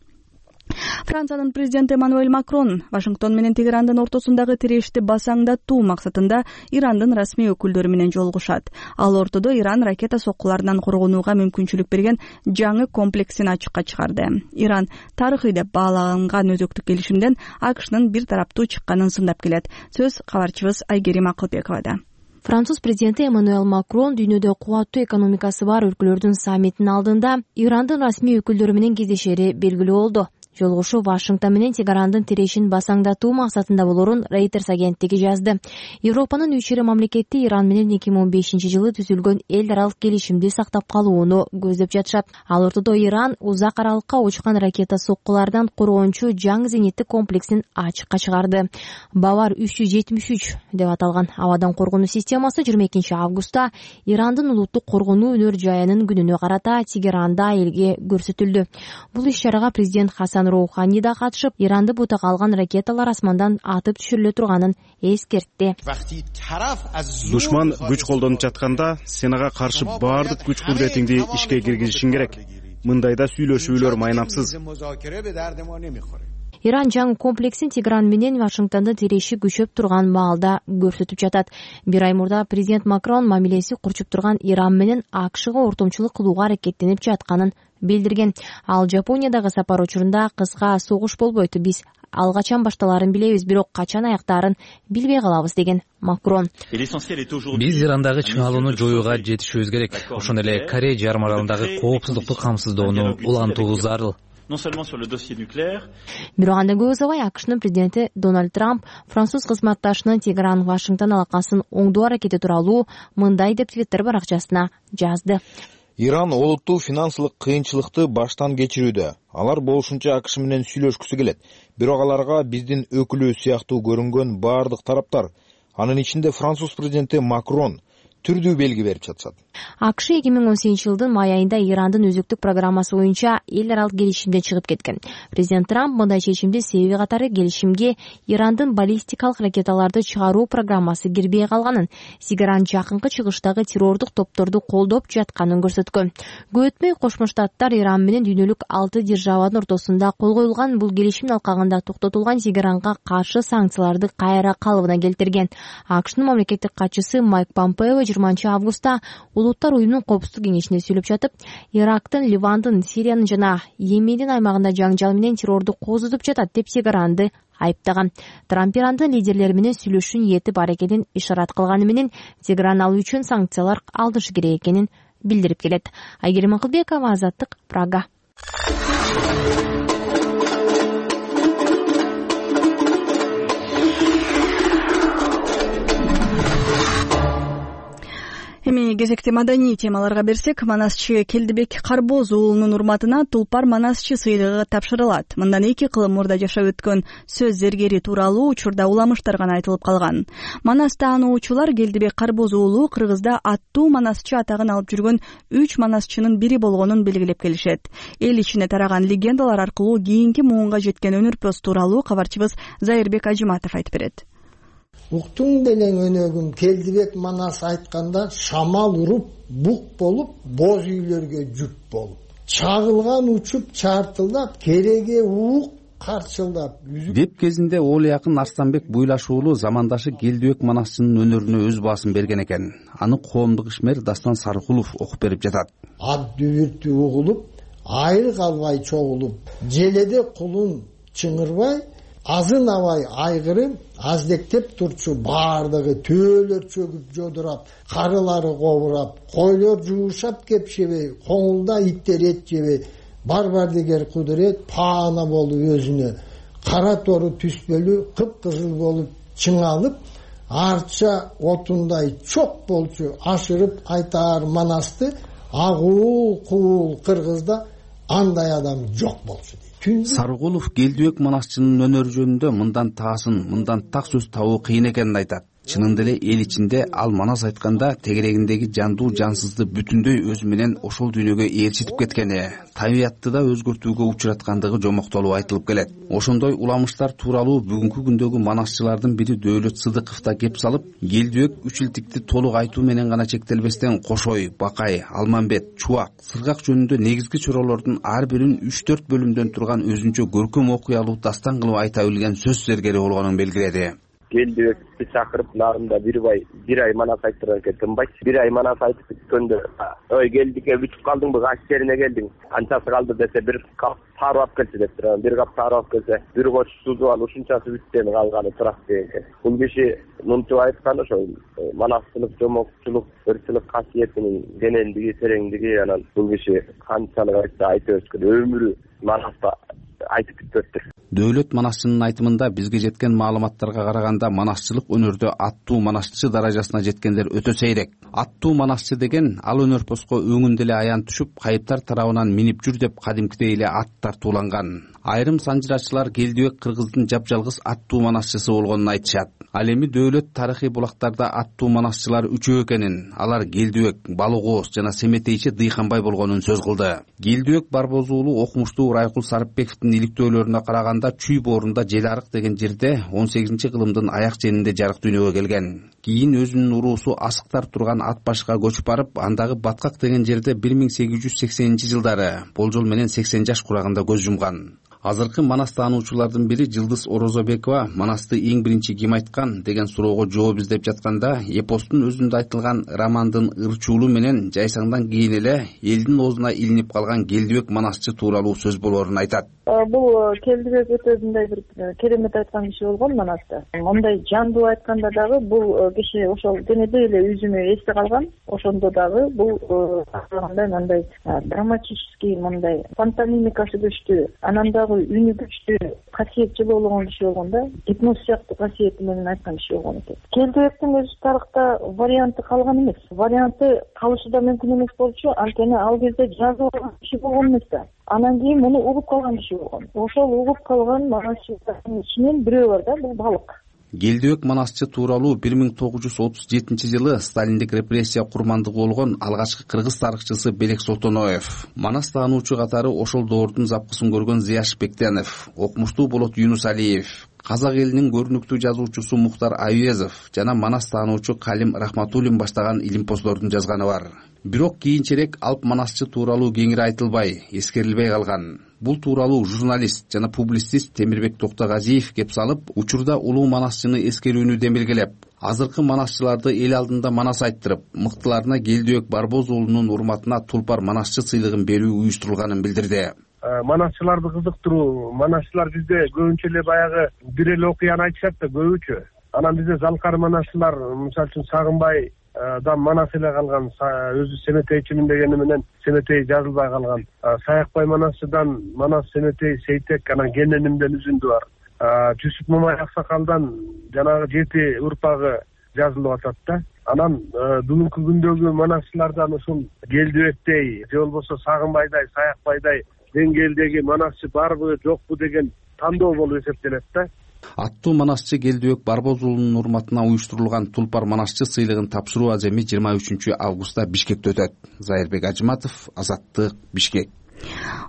Франциянын президенти Эммануэль Макрон Вашингтон менен Тегерандын ортосундагы тирешти басаңдатуу максатында Ирандын расмий өкүлдөрү менен жолугушат. Ал ортодо Иран ракета соккуларынан коргонууга мүмкүнчүлүк берген жаңы комплексин ачыкка чыгарды. Иран тарыхый деп бааланган өзөктүк келишимден АКШнын бир тараптуу чыкканын сындап келет. Сөз кабарчыбыз Айгерим Акылбековада. Француз президенти Эммануэль Макрон дүйнөдө кубаттуу экономикасы бар өлкөлөрдүн саммитинин алдында Ирандын расмий өкүлдөрү менен кездешери белгилүү болду. Жолугушуу Вашингтон менен Тегерандын тирешин басаңдатуу максатында болорун Reuters агенттиги жазды. Европанын үч ири мамлекети Иран менен эки миң он бешинчи жылы түзүлгөн эл аралык келишимди сактап калууну көздөп жатышат. Ал ортодо Иран узак аралыкка учкан ракета соккулардан коргоончу жаңы зениттик комплексин ачыкка чыгарды. Бавар үч жүз жетимиш үч деп аталган абадан коргонуу системасы жыйырма экинчи августта Ирандын улуттук коргонуу өнөр жайынын күнүнө карата Тегеранда элге көрсөтүлдү. Бул иш-чарага президент Хасан Роухани да катышып, Иранды бутага алган ракеталар асмандан атып түшүрүлө турганын эскертти. Душман күч колдонуп жатканда сен ага каршы баардык күч кудретиңди ишке киргизишиң керек. Мындайда сүйлөшүүлөр майнапсыз. Иран жаңы комплексин Тегеран менен Вашингтондун тиреши күчөп турган маалда көрсөтүп жатат. Бир ай мурда президент Макрон мамилеси курчуп турган Иран менен АКШга ортомчулук кылууга аракеттенип жатканын билдирген. Ал Жапониядагы сапар учурунда кыска согуш болбойт, биз ал качан башталарын билебиз, бирок качан аяктаарын билбей калабыз деген Макрон. Биз Ирандагы чыңалууну жоюуга жетишибиз керек. Ошондой эле Корея жарым аралындагы коопсуздукту камсыздоону улантуубуз зарыл. Бирок андан көп узабай АКШнын президенти Дональд Трамп француз кызматташынын Тегеран Вашингтон алакасын оңдоо аракети тууралуу мындай деп Твиттер баракчасына жазды. Иран олуттуу финансылык кыйынчылыкты баштан кечирүүдө. Алар болушунча АКШ менен сүйлөшкүсү келет. Бирок аларга биздин өкүлү сыяктуу көрүнгөн баардык тараптар, анын ичинде француз президенти Макрон түрдүү белги берип жатышат. АКШ эки миң он сегизинчи жылдын май айында Ирандын өзөктүк программасы боюнча эл аралык келишимден чыгып кеткен. Президент Трамп мындай чечимди себеби катары келишимге Ирандын баллистикалык ракеталарды чыгаруу программасы кирбей калганын, Тегеран жакынкы чыгыштагы террордук топторду колдоп жатканын көрсөткөн. Көп өтпөй Кошмо Штаттар Иран менен дүйнөлүк алты державанын ортосунда кол коюлган бул келишимдин алкагында токтотулган Тегеранга каршы санкцияларды кайра калыбына келтирген. АКШнын мамлекеттик катчысы Майк Помпео жыйырманчы августта Улуттар уюмунун коопсуздук кеңешинде сүйлөп жатып, Ирактын, Ливандын, Сириянын жана Йемендин аймагында жаңжал менен террорду козутуп жатат деп Тегеранды айыптаган. Трамп Ирандын лидерлери менен сүйлөшүүнүн ниети бар экенин ишарат кылганы менен Тегеран ал үчүн санкциялар алдырышы керек экенин билдирип келет. Айгерим Акылбекова, Азаттык, Прага. кезекте маданий темаларга берсек, манасчы Келдибек Карбоз уулунун урматына Тулпар манасчы сыйлыгы тапшырылат. Мындан эки кылым мурда жашап өткөн сөз зергери тууралуу учурда уламыштар гана айтылып калган. Манас таануучулар Келдибек Карбоз уулу Кыргызда аттуу манасчы атагын алып жүргөн үч манасчынын бири болгонун белгилеп келишет. Эл ичине тараган легендалар аркылуу кийинки муунга жеткен өнөрпөз тууралуу кабарчыбыз Зайырбек Ажыматов айтып берет. Уктуң делең өнөгүм Келдибек манас айтканда шамал уруп, бук болуп, боз үйлөргө жүк болуп. Чагылган учуп чартылдап, кереге уук карчылдап. Деп кезинде Оолу Якын Арстанбек Буйлаш уулу замандашы Келдибек манасчынын өнөрүнө өз баасын берген экен. Аны коомдук ишмер Дастан Сарыкулов окуп берип жатат. Ат дүбүртү угулуп, айры калбай чогулуп, желеде кулун чыңырбай, азын абай айгырып, аздектеп турчу баардыгы төөлөр чөгүп жодурап, карылары кобурап, койлор жуушап кепшебей, коңулда иттер эт жебей, бар-бар дегер кудурет паана болуп өзүнө, кара тору түспөлү кып-кызыл болуп чыңалып, арча отундай чок болчу ашырып айтаар манасты, агуул куул Кыргызда андай адам жок болчу. Сарыкулов Келдибек манасчынын өнөрү жөнүндө мындан таасын, мындан так сөз табуу кыйын экенин айтат. Чынында эле эл ичинде ал манас айтканда тегерегиндеги жандуу жансызды бүтүндөй өзү менен ошол дүйнөгө ээрчитип кеткени, табиятты да өзгөртүүгө учураткандыгы жомоктолуп айтылып келет. Ошондой уламыштар тууралуу бүгүнкү күндөгү манасчылардын бири Дөөлөт Сыдыков да кеп салып, Келдибек үчилтикти толук айтуу менен гана чектелбестен Кошой, Бакай, Алмамбет, Чубак, Сыргак жөнүндө негизги чоролордун ар бирин үч төрт бөлүмдөн турган өзүнчө көркөм окуялуу дастан кылып айта билген сөз зергери болгонун белгиледи. Келдибекти чакырып нарында бир ай бир ай манас айттырган экен, тынбайт. Бир ай манас айтып бүткөндө, ой Келдибекке бүтүп калдыңбы, кайсы жерине келдиң? Канчасы калды десе, бир кап тарып алып келчи деп турган. Бир кап тарып алып келсе, бир коч суу ал ушунчасы бүттен калганы турак деген экен. Бул киши мынтип айткан ошо манасчылык, жомокчулук, ырчылык касиетинин кенендиги, тереңдиги, анан бул киши канчалык айтса айта өткөн өмүрү манаста айтып бүттүптүр. Дөөлөт манасчынын айтымында бизге жеткен маалыматтарга караганда манасчылык өнөрдө аттуу манасчы даражасына жеткендер өтө сейрек. Аттуу манасчы деген ал өнөрпөскө өңүндө эле аян түшүп, кайыптар тарабынан минип жүр деп кадимкидей эле ат тартууланган. Айрым санжырачылар Келдибек Кыргыздын жапжалгыз аттуу манасчысы болгонун айтышат. Ал эми Дөөлөт тарыхый булактарда аттуу манасчылар үчөө экенин, алар Келдибек, Балыгооз жана Семетейчи Дыйханбай болгонун сөз кылды. Келдибек Барбоз уулу окумуштуу Райкул Сарыпбековдун иликтөөлөрүнө караганда Чүй боорунда Желарык деген жерде он сегизинчи кылымдын аяк ченинде жарык дүйнөгө келген. Кийин өзүнүн уруусу асыктар турган ат башка көчүп барып, андагы Баткак деген жерде бир миң сегиз жүз сексенинчи жылдары болжол менен сексен жаш кураганда көз жумган. Азыркы манас таануучулардын бири Жылдыз Орозобекова манасты эң биринчи ким айткан деген суроого жооп издеп жатканда, эпостун өзүндө айтылган романдын ырчуулу менен жайсаңдан кийин эле элдин оозуна илинип калган Келдибек манасчы тууралуу сөз болоорун айтат. Бул Келдибек өтө мындай бир керемет айткан киши болгон манасты. Мондай жандуу айтканда дагы бул киши ошол кенедей эле үзүмө эсте калган. Ошондо дагы бул айткандай мындай драматический, мындай пантомимикасы күчтүү, анан дагы үнү күчтүү, касиетчил болгон киши болгон да, гипноз сыяктуу касиети менен айткан киши болгон экен. Келдибектин өзү тарыхта варианты калган эмес. Варианты калышы да мүмкүн эмес болчу, анткени ал кезде жазуу киши болгон эмес да. Анан кийин муну угуп калган киши болгон. Ошол угуп калган манасчылардын ичинен бирөө бар да, бул Балык. Келдибек манасчы тууралуу бир миң тогуз жүз отуз жетинчи жылы сталиндик репрессия курмандыгы болгон алгачкы кыргыз тарыхчысы Белек Солтоноев, манас таануучу катары ошол доордун запкысын көргөн Зияш Бектенов, окумуштуу Болот Юнусалиев, казак элинин көрүнүктүү жазуучусу Мухтар Айвезов жана манас таануучу Калим Рахматуллин баштаган илимпоздордун жазганы бар. Бирок кийинчерээк алп манасчы тууралуу кеңири айтылбай, эскерилбей калган. Бул тууралуу журналист жана публицист Темирбек Токтогазиев кеп салып, учурда улуу манасчыны эскерүүнү демилгелеп, азыркы манасчыларды эл алдында манас айттырып, мыктыларына Келдибек Барбоз уулунун урматына Тулпар манасчы сыйлыгын берүү уюштурулганын билдирди. Манасчыларды кызыктыруу, манасчылар бизде көбүнчө эле баягы бир эле окуяны айтышат да көбүнчө. Анан бизде залкар манасчылар, мисалы үчүн Сагынбай да манас эле калган, өзү Семетейчимин дегени менен Семетей жазылбай калган. Саякбай манасчыдан Манас, Семетей, Сейтек, анан Кененимден үзүндү бар. Жүсүп Момай Аксакалдан жанагы жети урпагы жазылып атат да. Анан бүгүнкү күндөгү манасчылардан ушул Келдибектей же болбосо Сагынбайдай, Саякбайдай деңгээлдеги манасчы барбы, жокпу деген тандоо болуп эсептелет да. Аттуу манасчы Келдибек Барбоз уулунун урматына уюштурулган Тулпар манасчы сыйлыгын тапшыруу аземи жыйырма үчүнчү августта Бишкекте өтөт. Зайырбек Ажыматов, Азаттык, Бишкек.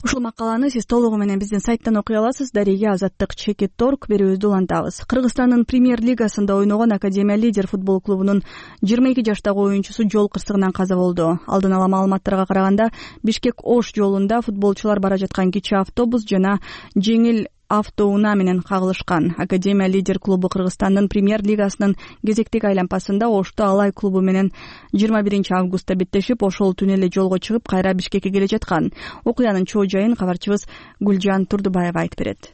Ушул макаланы сиз толугу менен биздин сайттан окуй аласыз. Дареге Азаттык чекит торг берүүбүздү улантабыз. Кыргызстандын премьер лигасында ойногон Академия Лидер футбол клубунун жыйырма эки жаштагы оюнчусу жол кырсыгынан каза болду. Алдын ала маалыматтарга караганда Бишкек-Ош жолунда футболчулар бара жаткан кичи автобус жана жеңил автоунаа менен кагылышкан. Академия Лидер клубу Кыргызстандын премьер лигасынын кезектеги айланпасында Ошто Алай клубу менен жыйырма биринчи августта беттешип, ошол түнү эле жолго чыгып, кайра Бишкекке келе жаткан. Окуянын чоо жайын кабарчыбыз Гүлжан Турдубаева айтып берет.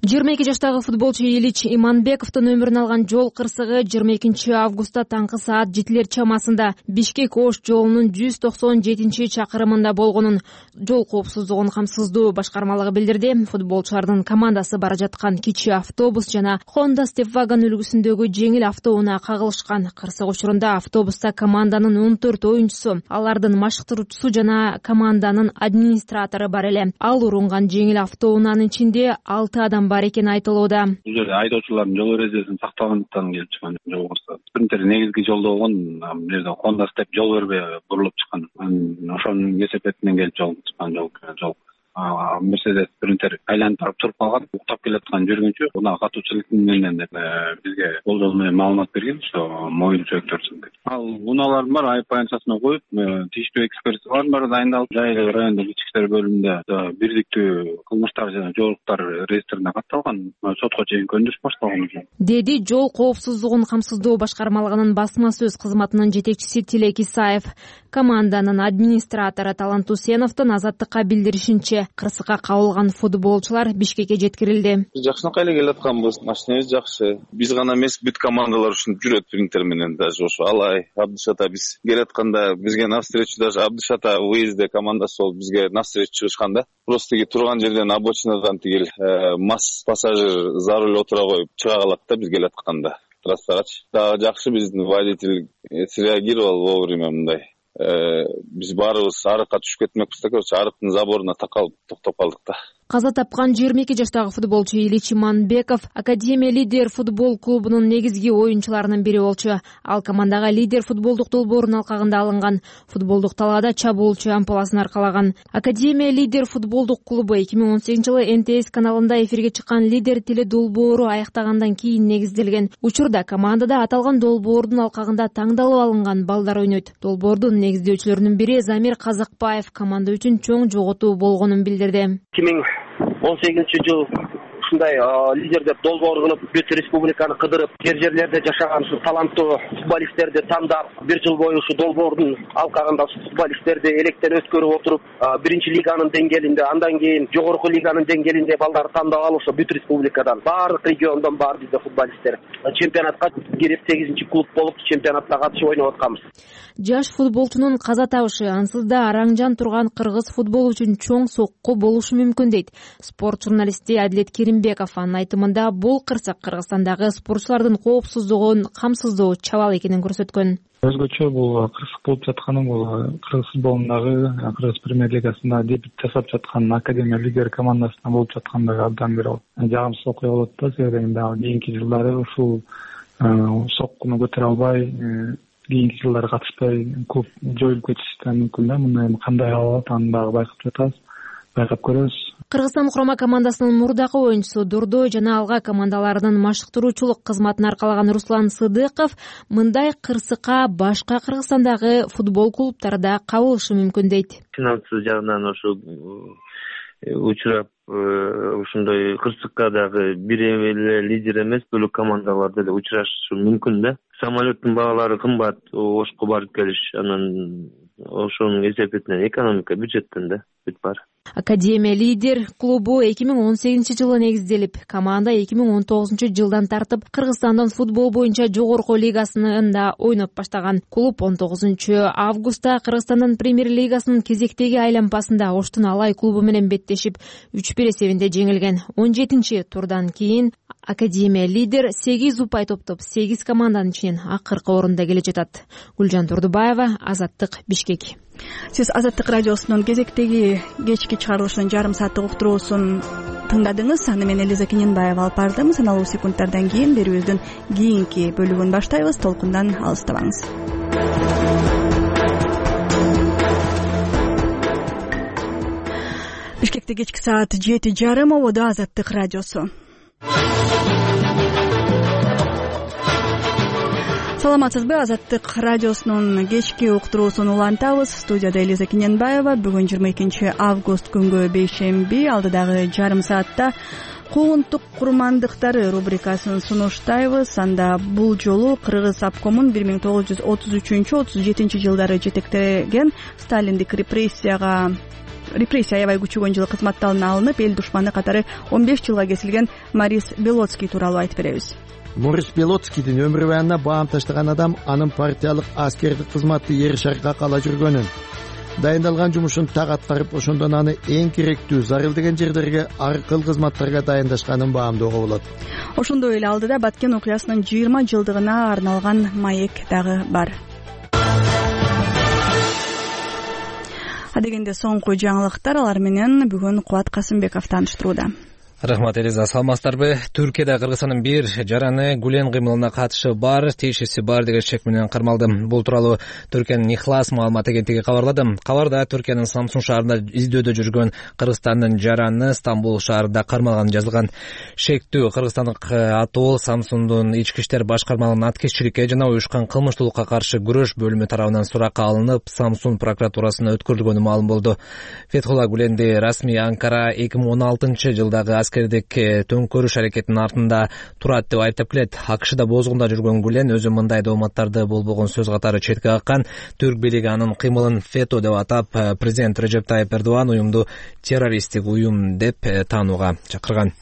жыйырма эки жаштагы футболчу Илич Иманбековдун өмүрүн алган жол кырсыгы жыйырма экинчи августта таңкы саат жетилер чамасында Бишкек-Ош жолунун жүз токсон жетинчи чакырымында болгонун жол коопсуздугун камсыздоо башкармалыгы билдирди. Футболчулардын командасы бара жаткан кичи автобус жана Honda Stepwagon үлгүсүндөгү жеңил автоунаа кагылышкан. Кырсык учурунда автобуста команданын он төрт оюнчусу, алардын машыктыруучусу жана команданын администратору бар эле. Ал урунган жеңил автоунаанын ичинде алты адам бар экени айтылууда. Бул жерде айдоочулардын жол эрежесин сактагандыктан келип чыккан жол кырсыгы. Спринтер негизги жолдо болгон, бул жерде Honda Step жол бербей бурулуп чыккан. Ошонун кесепетинен келип жол чыккан жол жол. Мерседес спринтер айланып барып туруп калган, уктап келаткан жүргүнчү унаа катуучулук менен деп бизге болжол менен маалымат берген, ошо моюн сөктөрсүн деп. Ал унаалардын баары айып баянчасына коюп, тийиштүү экспертизалардын баары дайындалып, жайы райондук ички иштер бөлүмүндө бирдиктүү кылмыштар жана жоолуктар реестрине катталган, сотко чейинки өндүрүш башталган деди жол коопсуздугун камсыздоо башкармалыгынын басма сөз кызматынын жетекчиси Тилек Исаев. Команданын администратору Талант Усеновдун Азаттыкка билдиришинче, кырсыкка кабылган футболчулар Бишкекке жеткирилди. Жакшынакай эле келатканбыз, машинебиз жакшы. Биз гана эмес, бүт командалар ушинтип жүрөт спринтер менен. Даже ошо Алай, Абдышата биз келатканда бизге навстречу, даже Абдышата выездде командасы болуп бизге навстречу чыгышканда, просто тиги турган жерден обочинадан тиги мас пассажир за руль отура коюп чыга калат да биз келатканда. Трассагачы. Дагы жакшы биздин водитель среагировал вовремя мындай. Биз баарыбыз арыкка түшүп кетмекпиз да, короче арыктын заборуна такалып токтоп калдык да. Каза тапкан жыйырма эки жаштагы футболчу Илич Иманбеков Академия Лидер футбол клубунун негизги оюнчуларынын бири болчу. Ал командага Лидер футболдук долбоорунун алкагында алынган. Футболдук талаада чабуулчу ампуласын аркалаган. Академия Лидер футболдук клубу эки миң он сегизинчи жылы Эн Тэ Эс каналында эфирге чыккан Лидер теле долбоору аяктагандан кийин негизделген. Учурда командада аталган долбоордун алкагында таңдалып алынган балдар ойнойт. Долбоордун негиздөөчүлөрүнүн бири Замир Казакбаев команда үчүн чоң жоготуу болгонун билдирди. он сегизинчи жыл ушундай лидер деп долбоор кылып, бүт республиканы кыдырып, жер жерлерде жашаган ушу таланттуу футболисттерди тандап, бир жыл бою ушу долбоордун алкагында футболисттерди электен өткөрүп отуруп, биринчи лиганын деңгээлинде, андан кийин жогорку лиганын деңгээлинде балдарды тандап алып, ошо бүт республикадан, баардык региондон бар бизде футболисттер. Чемпионатка кирип сегизинчи клуб болуп, чемпионатта катышып ойноп атканбыз. Жаш футболчунун каза табышы ансыз да араң-жан турган кыргыз футбол үчүн чоң сокку болушу мүмкүн дейт спорт журналисти Адилет Керимбеков. Анын айтымында бул кырсык Кыргызстандагы спортчулардын коопсуздугун камсыздоо чабал экенин көрсөткөн. Өзгөчө бул кырсык болуп жатканы бул кыргыз футболундагы кыргыз премьер лигасында дебют жасап жаткан Академия Лидер командасына болуп жаткандыгы абдан бир жагымсыз окуя болот да, себеби дагы кийинки жылдары ушул соккуну көтөрө албай, кийинки жылдары катышпай клуб жоюлуп кетиши да мүмкүн да. Мындай кандай алат аны дагы байкап жатабыз, байкап көрөбүз. Кыргызстан курама командасынын мурдакы оюнчусу Дурдой жана Алга командаларынын маштыктыруучулук кызматын аркалаган Руслан Сыдыков мындай кырсыкка башка Кыргызстандагы футбол клубтары да кабылышы мүмкүн дейт. Финансылык жагынан ошо учурап ушундай кырсыкка дагы бир эле лидер эмес, бөлөк командалар деле учурашы мүмкүн да. Самолеттин баалары кымбат, Ошко барып келиш, анан ошонун эсебинен экономика бюджеттен да бүт бар. Академия Лидер клубу эки миң он сегизинчи жылы негизделип, команда эки миң он тогузунчу жылдан тартып Кыргызстандын футбол боюнча жогорку лигасында ойноп баштаган. Клуб он тогузунчу августта Кыргызстандын премьер лигасынын кезектеги айланпасында Оштун Алай клубу менен беттешип үч бир эсебинде жеңилген. он жетинчи турдан кийин Академия лидер сегиз упай топтоп сегиз команданын ичинен акыркы орунда келе жатат. Гүлжан Турдубаева, Азаттык, Бишкек. Сиз Азаттык радиосунун кезектеги кечки чыгарылышынын жарым сааттык уктуруусун тыңдадыңыз. Аны мен Элиза Кененбаева алып бардым. Саналуу секундтардан кийин берүүбүздүн кийинки бөлүгүн баштайбыз. Толкундан алыстабаңыз. Бишкекте кечки саат жети жарым, ободо Азаттык радиосу. Саламатсызбы? Азаттык радиосунун кечки уктуруусун улантабыз. Студияда Элиза Кененбаева. Бүгүн жыйырма экинчи август күнгө бейшемби. Алдыдагы жарым саатта куугунтук курмандыктары рубрикасын сунуштайбыз. Анда бул жолу Кыргыз обкомун бир миң тогуз жүз отуз үчүнчү отуз жетинчи жылдары жетектеген сталиндик репрессияга репрессия аябай күчөгөн жылы кызматтан алынып, эл душманы катары он беш жылга кесилген Морис Белоцкий тууралуу айтып беребиз. Морис Белоцкийдин өмүр баянына баам таштаган адам анын партиялык аскердик кызматты ер шаркка кала жүргөнүн, дайындалган жумушун так аткарып, ошондон аны эң керектүү, зарыл деген жерлерге ар кыл кызматтарга дайындашканын баамдоого болот. Ошондой эле алдыда Баткен окуясынын жыйырма жылдыгына арналган маек дагы бар. Адегенде соңку жаңылыктар, алар менен бүгүн Кубат Касымбеков тааныштырууда. Рахмат, Элиза. Саламатсыздарбы? Түркияда Кыргызстандын бир жараны Гүлен кыймылына катышы бар, тиешеси бар деген шек менен кармалды. Бул тууралуу Түркиянын Ихлас маалымат агенттиги кабарлады. Кабарда Түркиянын Самсун шаарында издөөдө жүргөн Кыргызстандын жараны Стамбул шаарында кармалганы жазылган. Шектүү кыргызстандык атол Самсундун ички иштер башкармалыгынын аткезчиликке жана уюшкан кылмыштуулукка каршы күрөш бөлүмү тарабынан суракка алынып, Самсун прокуратурасына өткөрүлгөнү маалым болду. Фетхулла Гүленди расмий Анкара эки миң он алтынчы жылдагы аскердик төңкөрүш аракетинин артында турат деп айтып келет. АКШда бозгунда жүргөн Гүлен өзү мындай дооматтарды болбогон сөз катары четке каккан. Түрк бийлиги анын кыймылын фето деп атап, президент Режеп Тайып Эрдоган уюмду террористтик уюм деп таанууга чакырган.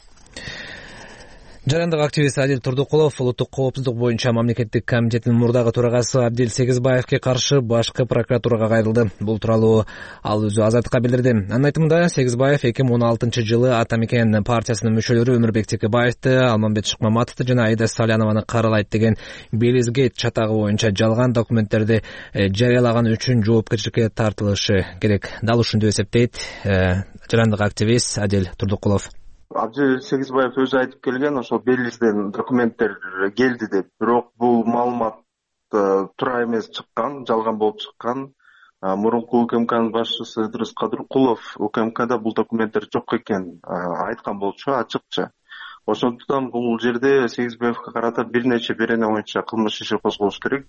Жарандык активист Адил Турдукулов улуттук коопсуздук боюнча мамлекеттик комитетинин мурдагы төрагасы Абдил Сегизбаевке каршы башкы прокуратурага кайрылды. Бул тууралуу ал өзү Азаттыкка билдирди. Анын айтымында Сегизбаев эки миң он алтынчы жылы Ата Мекен партиясынын мүчөлөрү Өмүрбек Текебаевди, Алмамбет Шыкмаматовду жана Айда Салянованы каралайт деген Белизгейт чатагы боюнча жалган документтерди жарыялаганы үчүн жоопкерчиликке тартылышы керек. Дал ушундой эсептейт жарандык активист Адил Турдукулов. Абдил Сегизбаев өзү айтып келген, ошол Белизден документтер келди деп. Бирок бул маалымат туура эмес чыккан, жалган болуп чыккан. Мурунку УКМКнын башчысы Ыдырыс Кадыркулов УКМКда бул документтер жок экенин айткан болчу ачыкча. Ошондуктан бул жерде Сегизбаевге карата бир нече берене боюнча кылмыш иши козголуш керек.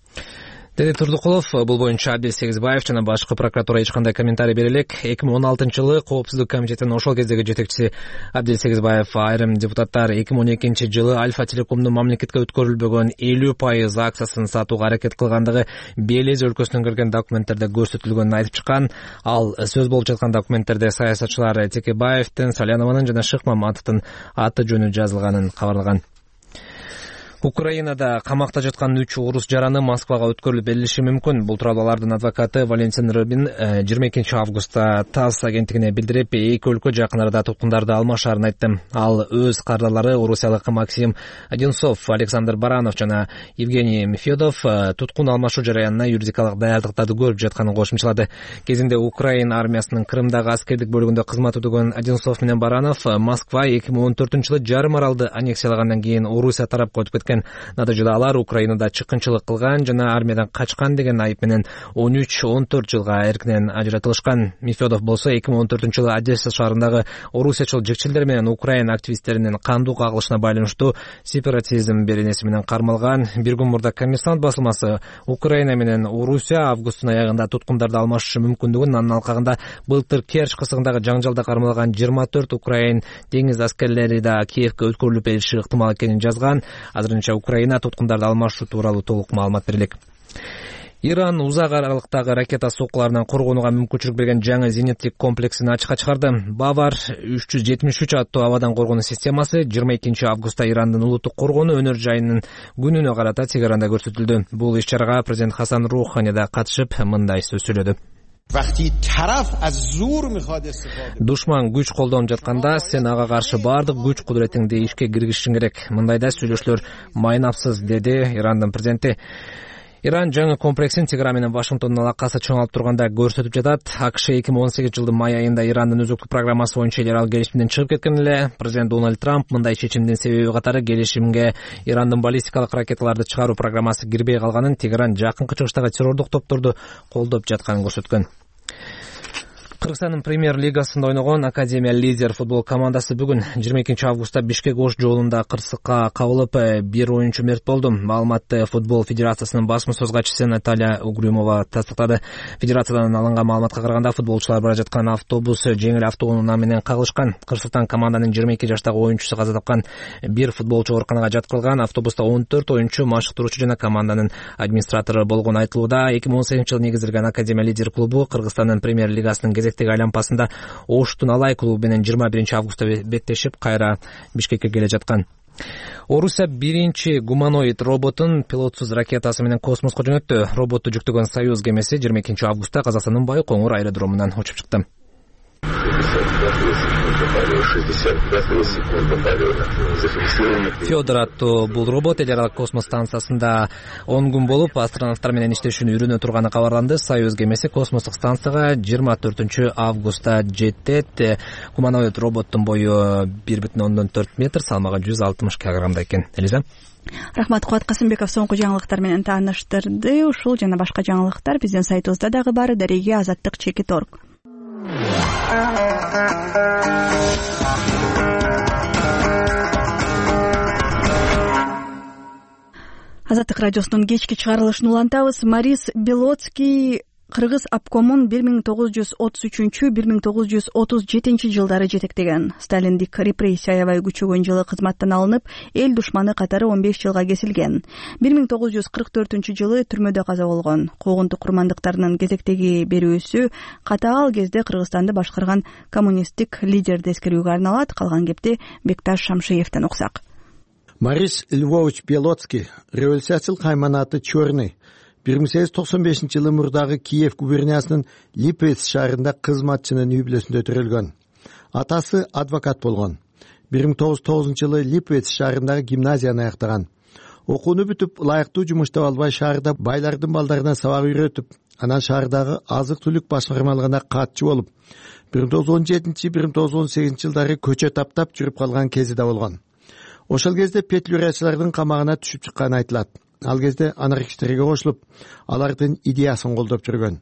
Деди Турдукулов. Бул боюнча Абдил Сегизбаев жана башкы прокуратура эч кандай комментарий бере элек. эки миң он алтынчы жылы Коопсуздук комитетинин ошол кездеги жетекчиси Абдил Сегизбаев айрым депутаттар эки миң он экинчи жылы Альфа Телекомдун мамлекетке өткөрүлбөгөн элүү пайыз акциясын сатууга аракет кылгандыгы Белиз өлкөсүнөн кирген документтерде көрсөтүлгөнүн айтып чыккан. Ал сөз болуп жаткан документтерде саясатчылар Текебаевдин, Салянованын жана Шыкмаматовдун аты жөнү жазылганын кабарлаган. Украинада камакта жаткан үч орус жараны Москвага өткөрүлүп берилиши мүмкүн. Бул тууралуу алардын адвокаты Валентин Рыбин жыйырма экинчи августта ТАСС агенттигине билдирип, эки өлкө жакын арада туткундарды алмашаарын айтты. Ал өз кардарлары орусиялык Максим Одинцов, Александр Баранов жана Евгений Мефедов туткун алмашуу жараянына юридикалык даярдыктарды көрүп жатканын кошумчалады. Кезинде Украина армиясынын Крымдагы аскердик бөлүгүндө кызмат өтөгөн Одинцов менен Баранов Москва эки миң он төртүнчү жылы жарым аралды аннексиялагандан кийин Орусия тарапка өтүп кеткен. Натыйжада алар Украинада чыккынчылык кылган жана армиядан качкан деген айып менен он үч он төрт жылга эркинен ажыратылышкан. Мефедов болсо эки миң он төртүнчү жылы Одесса шаарындагы орусиячыл жекчилдер менен Украина активисттеринин кандуу кагылышына байланыштуу сепаратизм беренеси менен кармалган. Бир күн мурда Коммерсант басылмасы Украина менен Орусия августтун аягында туткундарды алмашышы мүмкүндүгүн, анын алкагында былтыр Керчь кысыгындагы жаңжалда кармалган жыйырма төрт Украин деңиз аскерлери да Киевке өткөрүлүп берилиши ыктымал экенин жазган. Азырынча Украина туткундарды алмашуу тууралуу толук маалымат берилек. Иран узак аралыктагы ракета соккуларынан коргонууга мүмкүнчүлүк берген жаңы зениттик комплексин ачыкка чыгарды. Бавар үч жүз жетимиш үч аттуу абадан коргонуу системасы жыйырма экинчи августта Ирандын улуттук коргонуу өнөр жайынын күнүнө карата Тегеранда көрсөтүлдү. Бул иш-чарага президент Хасан Рухани да катышып, мындай сөз сүйлөдү. душман күч колдонуп жатканда сен ага каршы баардык күч кудуретиңди ишке киргизишиң керек. Мындайда сүйлөшүүлөр майнапсыз, деди Ирандын президенти. Иран жаңы комплексин Тегеран менен Вашингтондун алакасы чоң алып турганда көрсөтүп жатат. АКШ эки миң он сегизинчи жылдын май айында Ирандын өзөктүк программасы боюнча эл аралык келишимден чыгып кеткен эле. Президент Дональд Трамп мындай чечимдин себеби катары келишимге Ирандын баллистикалык ракеталарды чыгаруу программасы кирбей калганын, Тегеран жакынкы чыгыштагы террордук топторду колдоп жатканын көрсөткөн. Кыргызстандын премьер лигасында ойногон Академия Лидер футбол командасы бүгүн жыйырма экинчи августта Бишкек Ош жолунда кырсыкка кабылып, бир оюнчу мерт болду. Маалыматты футбол федерациясынын басма сөзкатчысы Наталья Угрюмова тастыктады. Федерациядан алынган маалыматка караганда футболчулар бара жаткан автобус жеңил автоунаа менен кагылышкан. Кырсыктан команданын жыйырма эки жаштагы оюнчусу каза тапкан. Бир футболчу ооруканага жаткырылган. Автобуста он төрт оюнчу, машыктыруучу жана команданын администратору болгону айтылууда. эки миң он сегизинчи жылы негизделген Академия Лидер клубу Кыргызстандын премьер лигасынын кезектеги айланпасында Оштун Алай клубу менен жыйырма биринчи августта беттешип, кайра Бишкекке келе жаткан. Орусия биринчи гуманоид роботун пилотсуз ракетасы менен космоско жөнөттү. Роботту жүктөгөн Союз кемеси жыйырма экинчи августта Казакстандын Байкоңур аэродромунан учуп чыкты. Федор аттуу бул робот эл аралык космос станциясында он күн болуп, астронавттар менен иштешүүнү үйрөнө турганы кабарланды. Союз кемеси космостук станцияга жыйырма төртүнчү августта жетет. Гуманоид роботтун бою бир бүтүн ондон төрт метр, салмагы жүз алтымыш килограммда экен. Элиза. Рахмат, Кубат Касымбеков соңку жаңылыктар менен тааныштырды. Ушул жана башка жаңылыктар биздин сайтыбызда дагы бар. Дареге азаттык чекит точка орг. Азаттык радиосунун кечки чыгарылышын улантабыз. Марис Белоцкий Кыргыз обкомун бир миң тогуз жүз отуз үчүнчү — бир миң тогуз жүз отуз жетинчи жылдары жетектеген. Сталиндик репрессия аябай күчөгөн жылы кызматтан алынып, эл душманы катары он беш жылга кесилген. бир миң тогуз жүз кырк төртүнчү жылы түрмөдө каза болгон. Куугунтук курмандыктарынын кезектеги берүүсү катаал кезде Кыргызстанды башкарган коммунисттик лидерди эскерүүгө арналат. Калган кепти Бекташ Шамшиевден уксак. Марис Львович Белоцкий, революциячыл кайманаты Чёрный, бир миң сегиз жүз токсон бешинчи жылы мурдагы Киев губерниясынын Липовец шаарында кызматчынын үй бүлөсүндө төрөлгөн. Атасы адвокат болгон. бир миң тогуз жүз тогузунчу жылы Липовец шаарындагы гимназияны аяктаган. Окууну бүтүп, ылайыктуу жумуш таба албай шаарда байлардын балдарына сабак үйрөтүп, анан шаардагы азык-түлүк башкармалыгына катчы болуп, бир миң тогуз жүз он жетинчи — бир миң тогуз жүз он сегизинчи жылдары көчө таптап жүрүп калган кези да болгон. Ошол кезде петлюрячылардын камагына түшүп чыкканы айтылат. Ал кезде анархисттерге кошулуп, алардын идеясын колдоп жүргөн.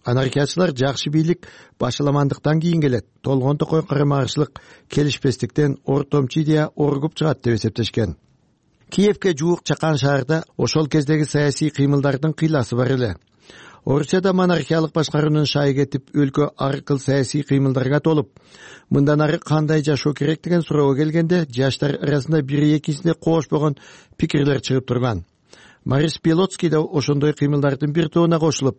Анархиячылар жакшы бийлик башаламандыктан кийин келет, толгон токой карама-каршылык келишпестиктен ортомчу идея оргуп чыгат деп эсептешкен. Киевке жуук чакан шаарда ошол кездеги саясий кыймылдардын кыйласы бар эле. Орусияда монархиялык башкаруунун шайы кетип, өлкө ар кыл саясий кыймылдарга толуп, мындан ары кандай жашоо керек деген суроого келгенде, жаштар арасында бири экинчисине кошпогон пикирлер чыгып турган. Марис Белоцкий да ошондой кыймылдардын бир тобуна кошулуп,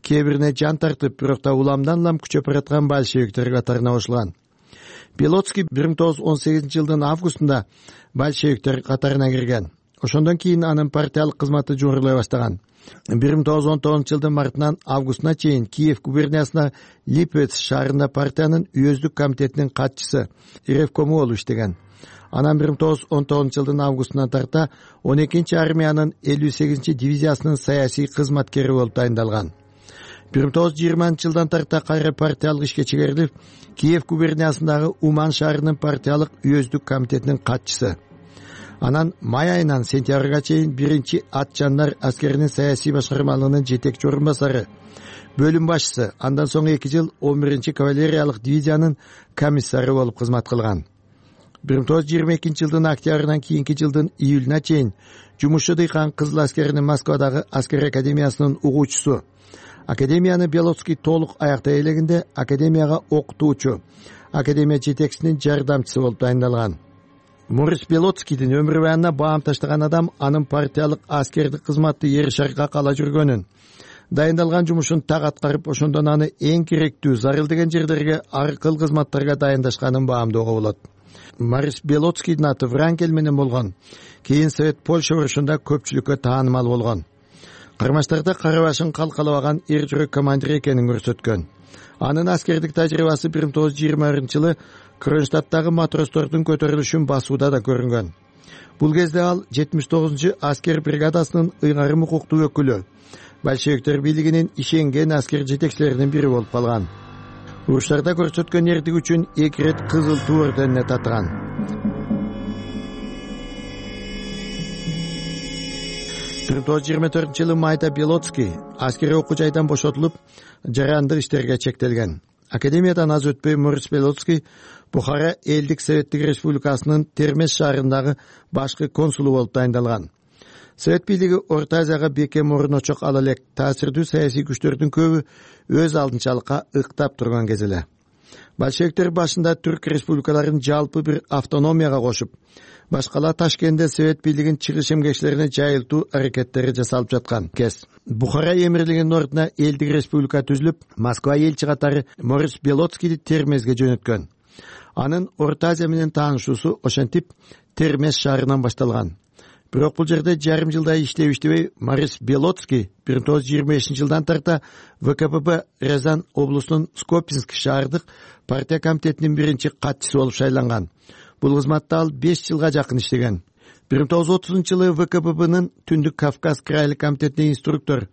кээ бирине жан тартып, бирок да уламдан улам күчөп бараткан большевиктер катарына кошулган. Белоцкий бир миң тогуз жүз он сегизинчи жылдын августунда большевиктер катарына кирген. Ошондон кийин анын партиялык кызматы жумурлай баштаган. бир миң тогуз жүз он тогузунчу жылдын мартынан августуна чейин Киев губерниясына Липовец шаарында партиянын уездик комитетинин катчысы, ревкому болуп иштеген. Анан бир миң тогуз жүз он тогузунчу жылдын августунан тарта он экинчи армиянын элүү сегизинчи дивизиясынын саясий кызматкери болуп дайындалган. бир миң тогуз жүз жыйырманчы жылдан тарта кайра партиялык ишке чегерилип, Киев губерниясындагы Уман шаарынын партиялык уездик комитетинин катчысы. Анан май айынан сентябрга чейин биринчи ат жандар аскеринин саясий башкармалыгынын жетекчи орун басары, бөлүм башчысы, андан соң эки жыл он биринчи кавалериялык дивизиянын комиссары болуп кызмат кылган. бир миң тогуз жүз жыйырма экинчи жылдын октябрынан кийинки жылдын июлуна чейин жумушчу дыйкан кызыл аскеринин Москвадагы аскер академиясынын угуучусу. Академияны Белоцкий толук аяктай элегенде академияга окутуучу, академия жетекчисинин жардамчысы болуп дайындалган. Марис Белоцкийдин өмүр баянына баам таштаган адам анын партиялык аскердик кызматты эр шаркка кала жүргөнүн, дайындалган жумушун так аткарып, ошондон аны эң керектүү зарыл деген жерлерге ар кыл кызматтарга дайындашканын баамдоого болот. Марис Белоцкийдин аты Врангель менен болгон. Кийин Совет Польша урушунда көпчүлүккө таанымал болгон. кармаштарда кара башын калкалабаган эр жүрөк командир экенин көрсөткөн. Анын аскердик тажрыйбасы бир миң тогуз жүз жыйырманчы жылы Кронштадттагы матростордун көтөрүлүшүн басууда да көрүнгөн. Бул кезде ал жетимиш тогузунчу аскер бригадасынын ыйгарым укуктуу өкүлү, большевиктер бийлигинин ишенген аскер жетекчилеринин бири болуп калган. Уруштарда көрсөткөн эрдиги үчүн эки ирет кызыл туу орденине татыган. бир миң тогуз жүз жыйырма төртүнчү жылы майда Белоцкий аскерий окуу жайдан бошотулуп, жарандык иштерге чектелген. Академиядан аз өтпөй Морис Белоцкий Бухара элдик советтик республикасынын Термез шаарындагы башкы консулу болуп дайындалган. Совет бийлиги Орто Азияга бекем орун очок ала элек таасирдүү саясий күчтөрдүн көбү өз алдынчалыкка ыктап турган кез эле. Большевиктер башында түрк республикаларын жалпы бир автономияга кошуп, башкала Ташкентте совет бийлигин чыгыш эмгекчилерине жайылтуу аракеттери жасалып жаткан кез. Бухара эмирлигинин ордуна элдик республика түзүлүп, Москва элчи катары Морис Белоцкийди Термезге жөнөткөн. Анын Орто Азия менен таанышуусу ошентип Термез шаарынан башталган. Бирок бул жерде жарым жылдай иштеп иштебей Морис Белоцкий бир миң тогуз жүз жыйырма бешинчи жылдан тарта ВКПБ Рязань облусунун Скопинск шаардык партия комитетинин биринчи катчысы болуп шайланган. Бул кызматта ал беш жылга жакын иштеген. бир миң тогуз жүз отузунчу жылы ВКПБнын Түндүк Кавказ крайлык комитетине инструктор,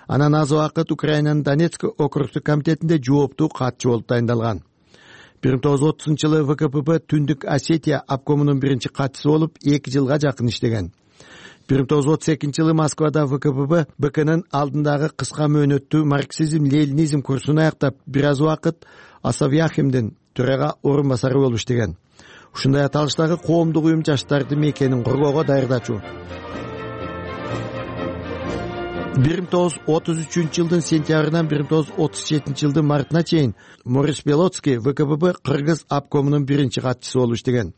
анан аз убакыт Украинанын Донецк округдук комитетинде жооптуу катчы болуп дайындалган. бир миң тогуз жүз отузунчу жылы ВКПБ Түндүк Осетия обкомунун биринчи катчысы болуп эки жылга жакын иштеген. бир миң тогуз жүз отуз экинчи жылы Москвада ВКПБ БКнын алдындагы кыска мөөнөттүү марксизм-ленинизм курсун аяктап, бир аз убакыт Асавьяхимдин төрага орун басары болуп иштеген. Ушундай аталыштагы коомдук уюм жаштарды мекенин кургоого даярдачу. бир миң тогуз жүз отуз үчүнчү жылдын сентябрынан бир миң тогуз жүз отуз жетинчи жылдын мартына чейин Морис Белоцкий ВКПБ Кыргыз обкомунун биринчи катчысы болуп иштеген.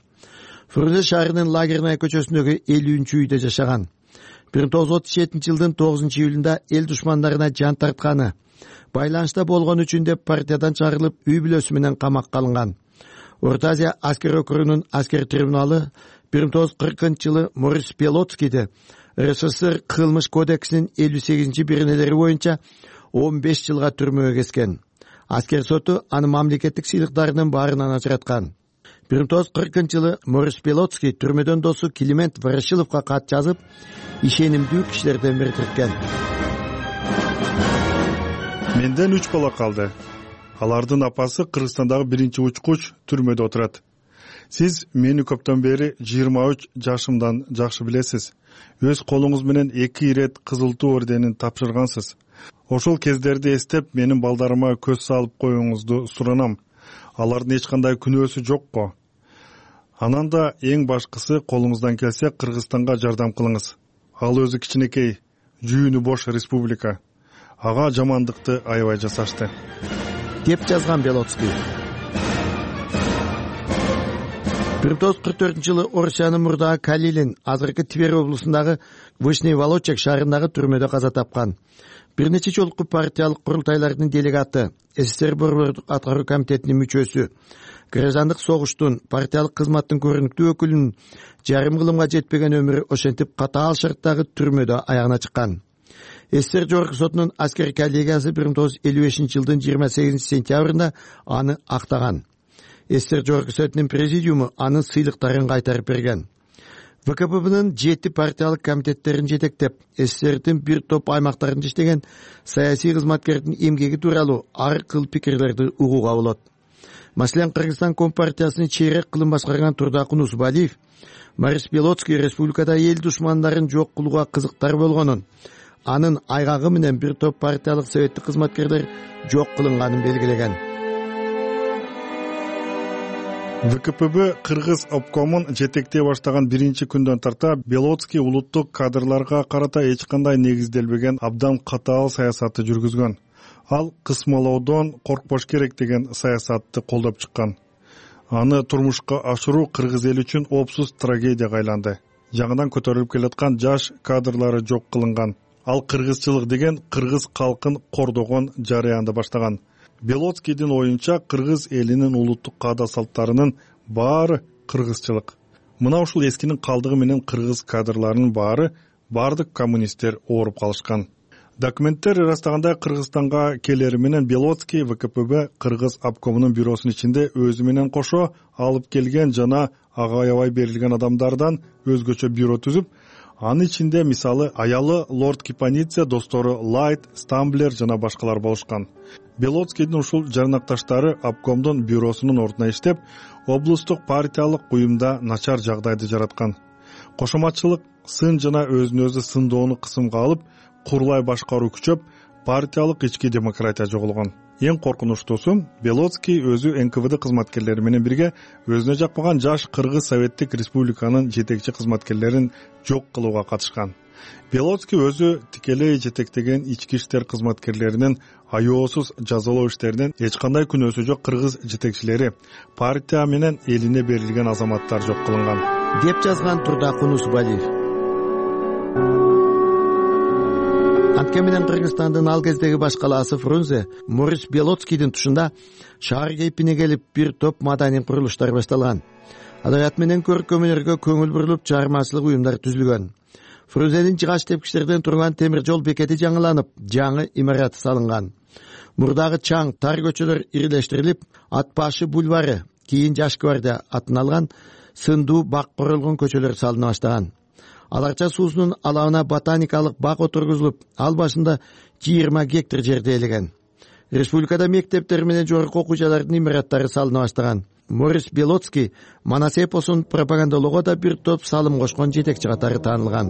Фрунзе шаарынын Лагерная көчөсүндөгү элүүнчү үйдө жашаган. бир миң тогуз жүз отуз жетинчи жылдын тогузунчу июлунда эл душмандарына жан тартканы, байланышта болгон үчүн деп партиядан чыгарылып, үй бүлөсү менен камакка алынган. Орто Азия аскер округунун аскер трибуналы бир миң тогуз жүз кыркынчы жылы Морис Белоцкийди РСФСР кылмыш кодексинин элүү сегизинчи беренелери боюнча он беш жылга түрмөгө кескен. Аскер соту аны мамлекеттик сыйлыктарынын баарынан ажыраткан. бир миң тогуз жүз кыркынчы жылы Морис Белоцкий түрмөдөн досу Климент Ворошиловго кат жазып, ишенимдүү кишилерден бирдирткен. Менден үч бала калды. Алардын апасы Кыргызстандагы биринчи учкуч түрмөдө отурат. Сиз мени көптөн бери жыйырма үч жашымдан жакшы билесиз. Өз колуңуз менен эки ирет кызыл туу орденин тапшыргансыз. Ошол кездерди эстеп, менин балдарыма көз салып коюңузду суранам. Алардын эч кандай күнөөсү жокко. Анан да эң башкысы, колуңуздан келсе Кыргызстанга жардам кылыңыз. Ал өзү кичинекей, жүйүнү бош республика. Ага жамандыкты аябай жасашты, деп жазган Белоцкий. бир миң тогуз жүз кырк төртүнчү жылы Орусиянын мурдагы Калилин, азыркы Тверь облусундагы Вышний Волочек шаарындагы түрмөдө каза тапкан. Бир нече жолку партиялык курултайлардын делегаты, СССР борбордук аткаруу комитетинин мүчөсү, граждандык согуштун, партиялык кызматтын көрүнүктүү өкүлүнүн жарым кылымга жетпеген өмүрү ошентип катаал шарттагы түрмөдө аягына чыккан. СССР жогорку сотунун аскер коллегиясы бир миң тогуз жүз элүү бешинчи жылдын жыйырма сегизинчи сентябрында аны актаган. СССР жогорку сотунун президиуму анын сыйлыктарын кайтарып берген. ВКПБнын жети партиялык комитеттерин жетектеп, СССРдин бир топ аймактарында иштеген саясий кызматкердин эмгеги тууралуу ар кыл пикирлерди угууга болот. Маселен, Кыргызстан Компартиясынын чейрек кылым башкарган Турдакун Усубалиев Морис Белоцкий республикада эл душмандарын жок кылууга кызыктар болгонун, анын айгагы менен бир топ партиялык советтик кызматкерлер жок кылынганын белгилеген. ВКПБ Кыргыз обкомун жетектей баштаган биринчи күндөн тарта Белоцкий улуттук кадрларга карата эч кандай негизделбеген абдан катаал саясатты жүргүзгөн. Ал кысмалоодон коркпош керек деген саясатты колдоп чыккан. Аны турмушка ашыруу кыргыз эли үчүн опсуз трагедияга айланды. Жаңыдан көтөрүлүп келаткан жаш кадрлары жок кылынган. Ал кыргызчылык деген кыргыз калкын кордогон жарыянды баштаган. Белоцкийдин оюнча кыргыз элинин улуттук каада салттарынын баары кыргызчылык. Мына ушул эскинин калдыгы менен кыргыз кадрларынын баары бардык коммунисттер ооруп калышкан. Документтер ырастагандай Кыргызстанга келери менен Белоцкий ВКПб Кыргыз обкомунун бюросунун ичинде өзү менен кошо алып келген жана ага аябай берилген адамдардан өзгөчө бюро түзүп, анын ичинде мисалы аялы лорд Кипанице, достору Лайт, Стамблер жана башкалар болушкан. Белоцкийдин ушул жарнакташтары обкомдун бюросунун ордуна иштеп, облустук партиялык уюмда начар жагдайды жараткан. Кошоматчылык, сын жана өзүн өзү сындоону кысымга алып, курулай башкаруу күчөп, партиялык ички демократия жоголгон. Эң коркунучтуусу, Белоцкий өзү эн ка вэ дэ кызматкерлери менен бирге өзүнө жакпаган жаш Кыргыз Советтик Республиканын жетекчи кызматкерлерин жок кылууга катышкан. Белоцкий өзү тикелей жетектеген ички иштер кызматкерлеринин аеосуз жазалоо иштеринен эч кандай күнөөсү жок кыргыз жетекчилери, партия менен элине берилген азаматтар жок кылынган, деп жазган Турдакун Усубалиев. Анткени менен Кыргызстандын ал кездеги баш калаасы Фрунзе Морис Белоцкийдин тушунда шаар кейпине келип бир топ маданий курулуштар башталган. Адабият менен көркөмөнөргө көңүл бурулуп, чыгармачылык уюмдар түзүлгөн. Фрунзенин жыгач тепкичтерден турган темир жол бекети жаңыланып, жаңы имарат салынган. Мурдагы чаң тар көчөлөр ирилештирилип, ат башы бульвары, кийин Жаш гвардия атын алган сындуу бак королгон көчөлөр салына баштаган. Аларча суусунун алабына ботаникалык бак отургузулуп, ал башында жыйырма гектар жерди ээлеген. Республикада мектептер менен жогорку окуу жайлардын имараттары салына баштаган. Морис Белоцкий Манас эпосун пропагандалоого да бир топ салым кошкон жетекчи катары таанылган.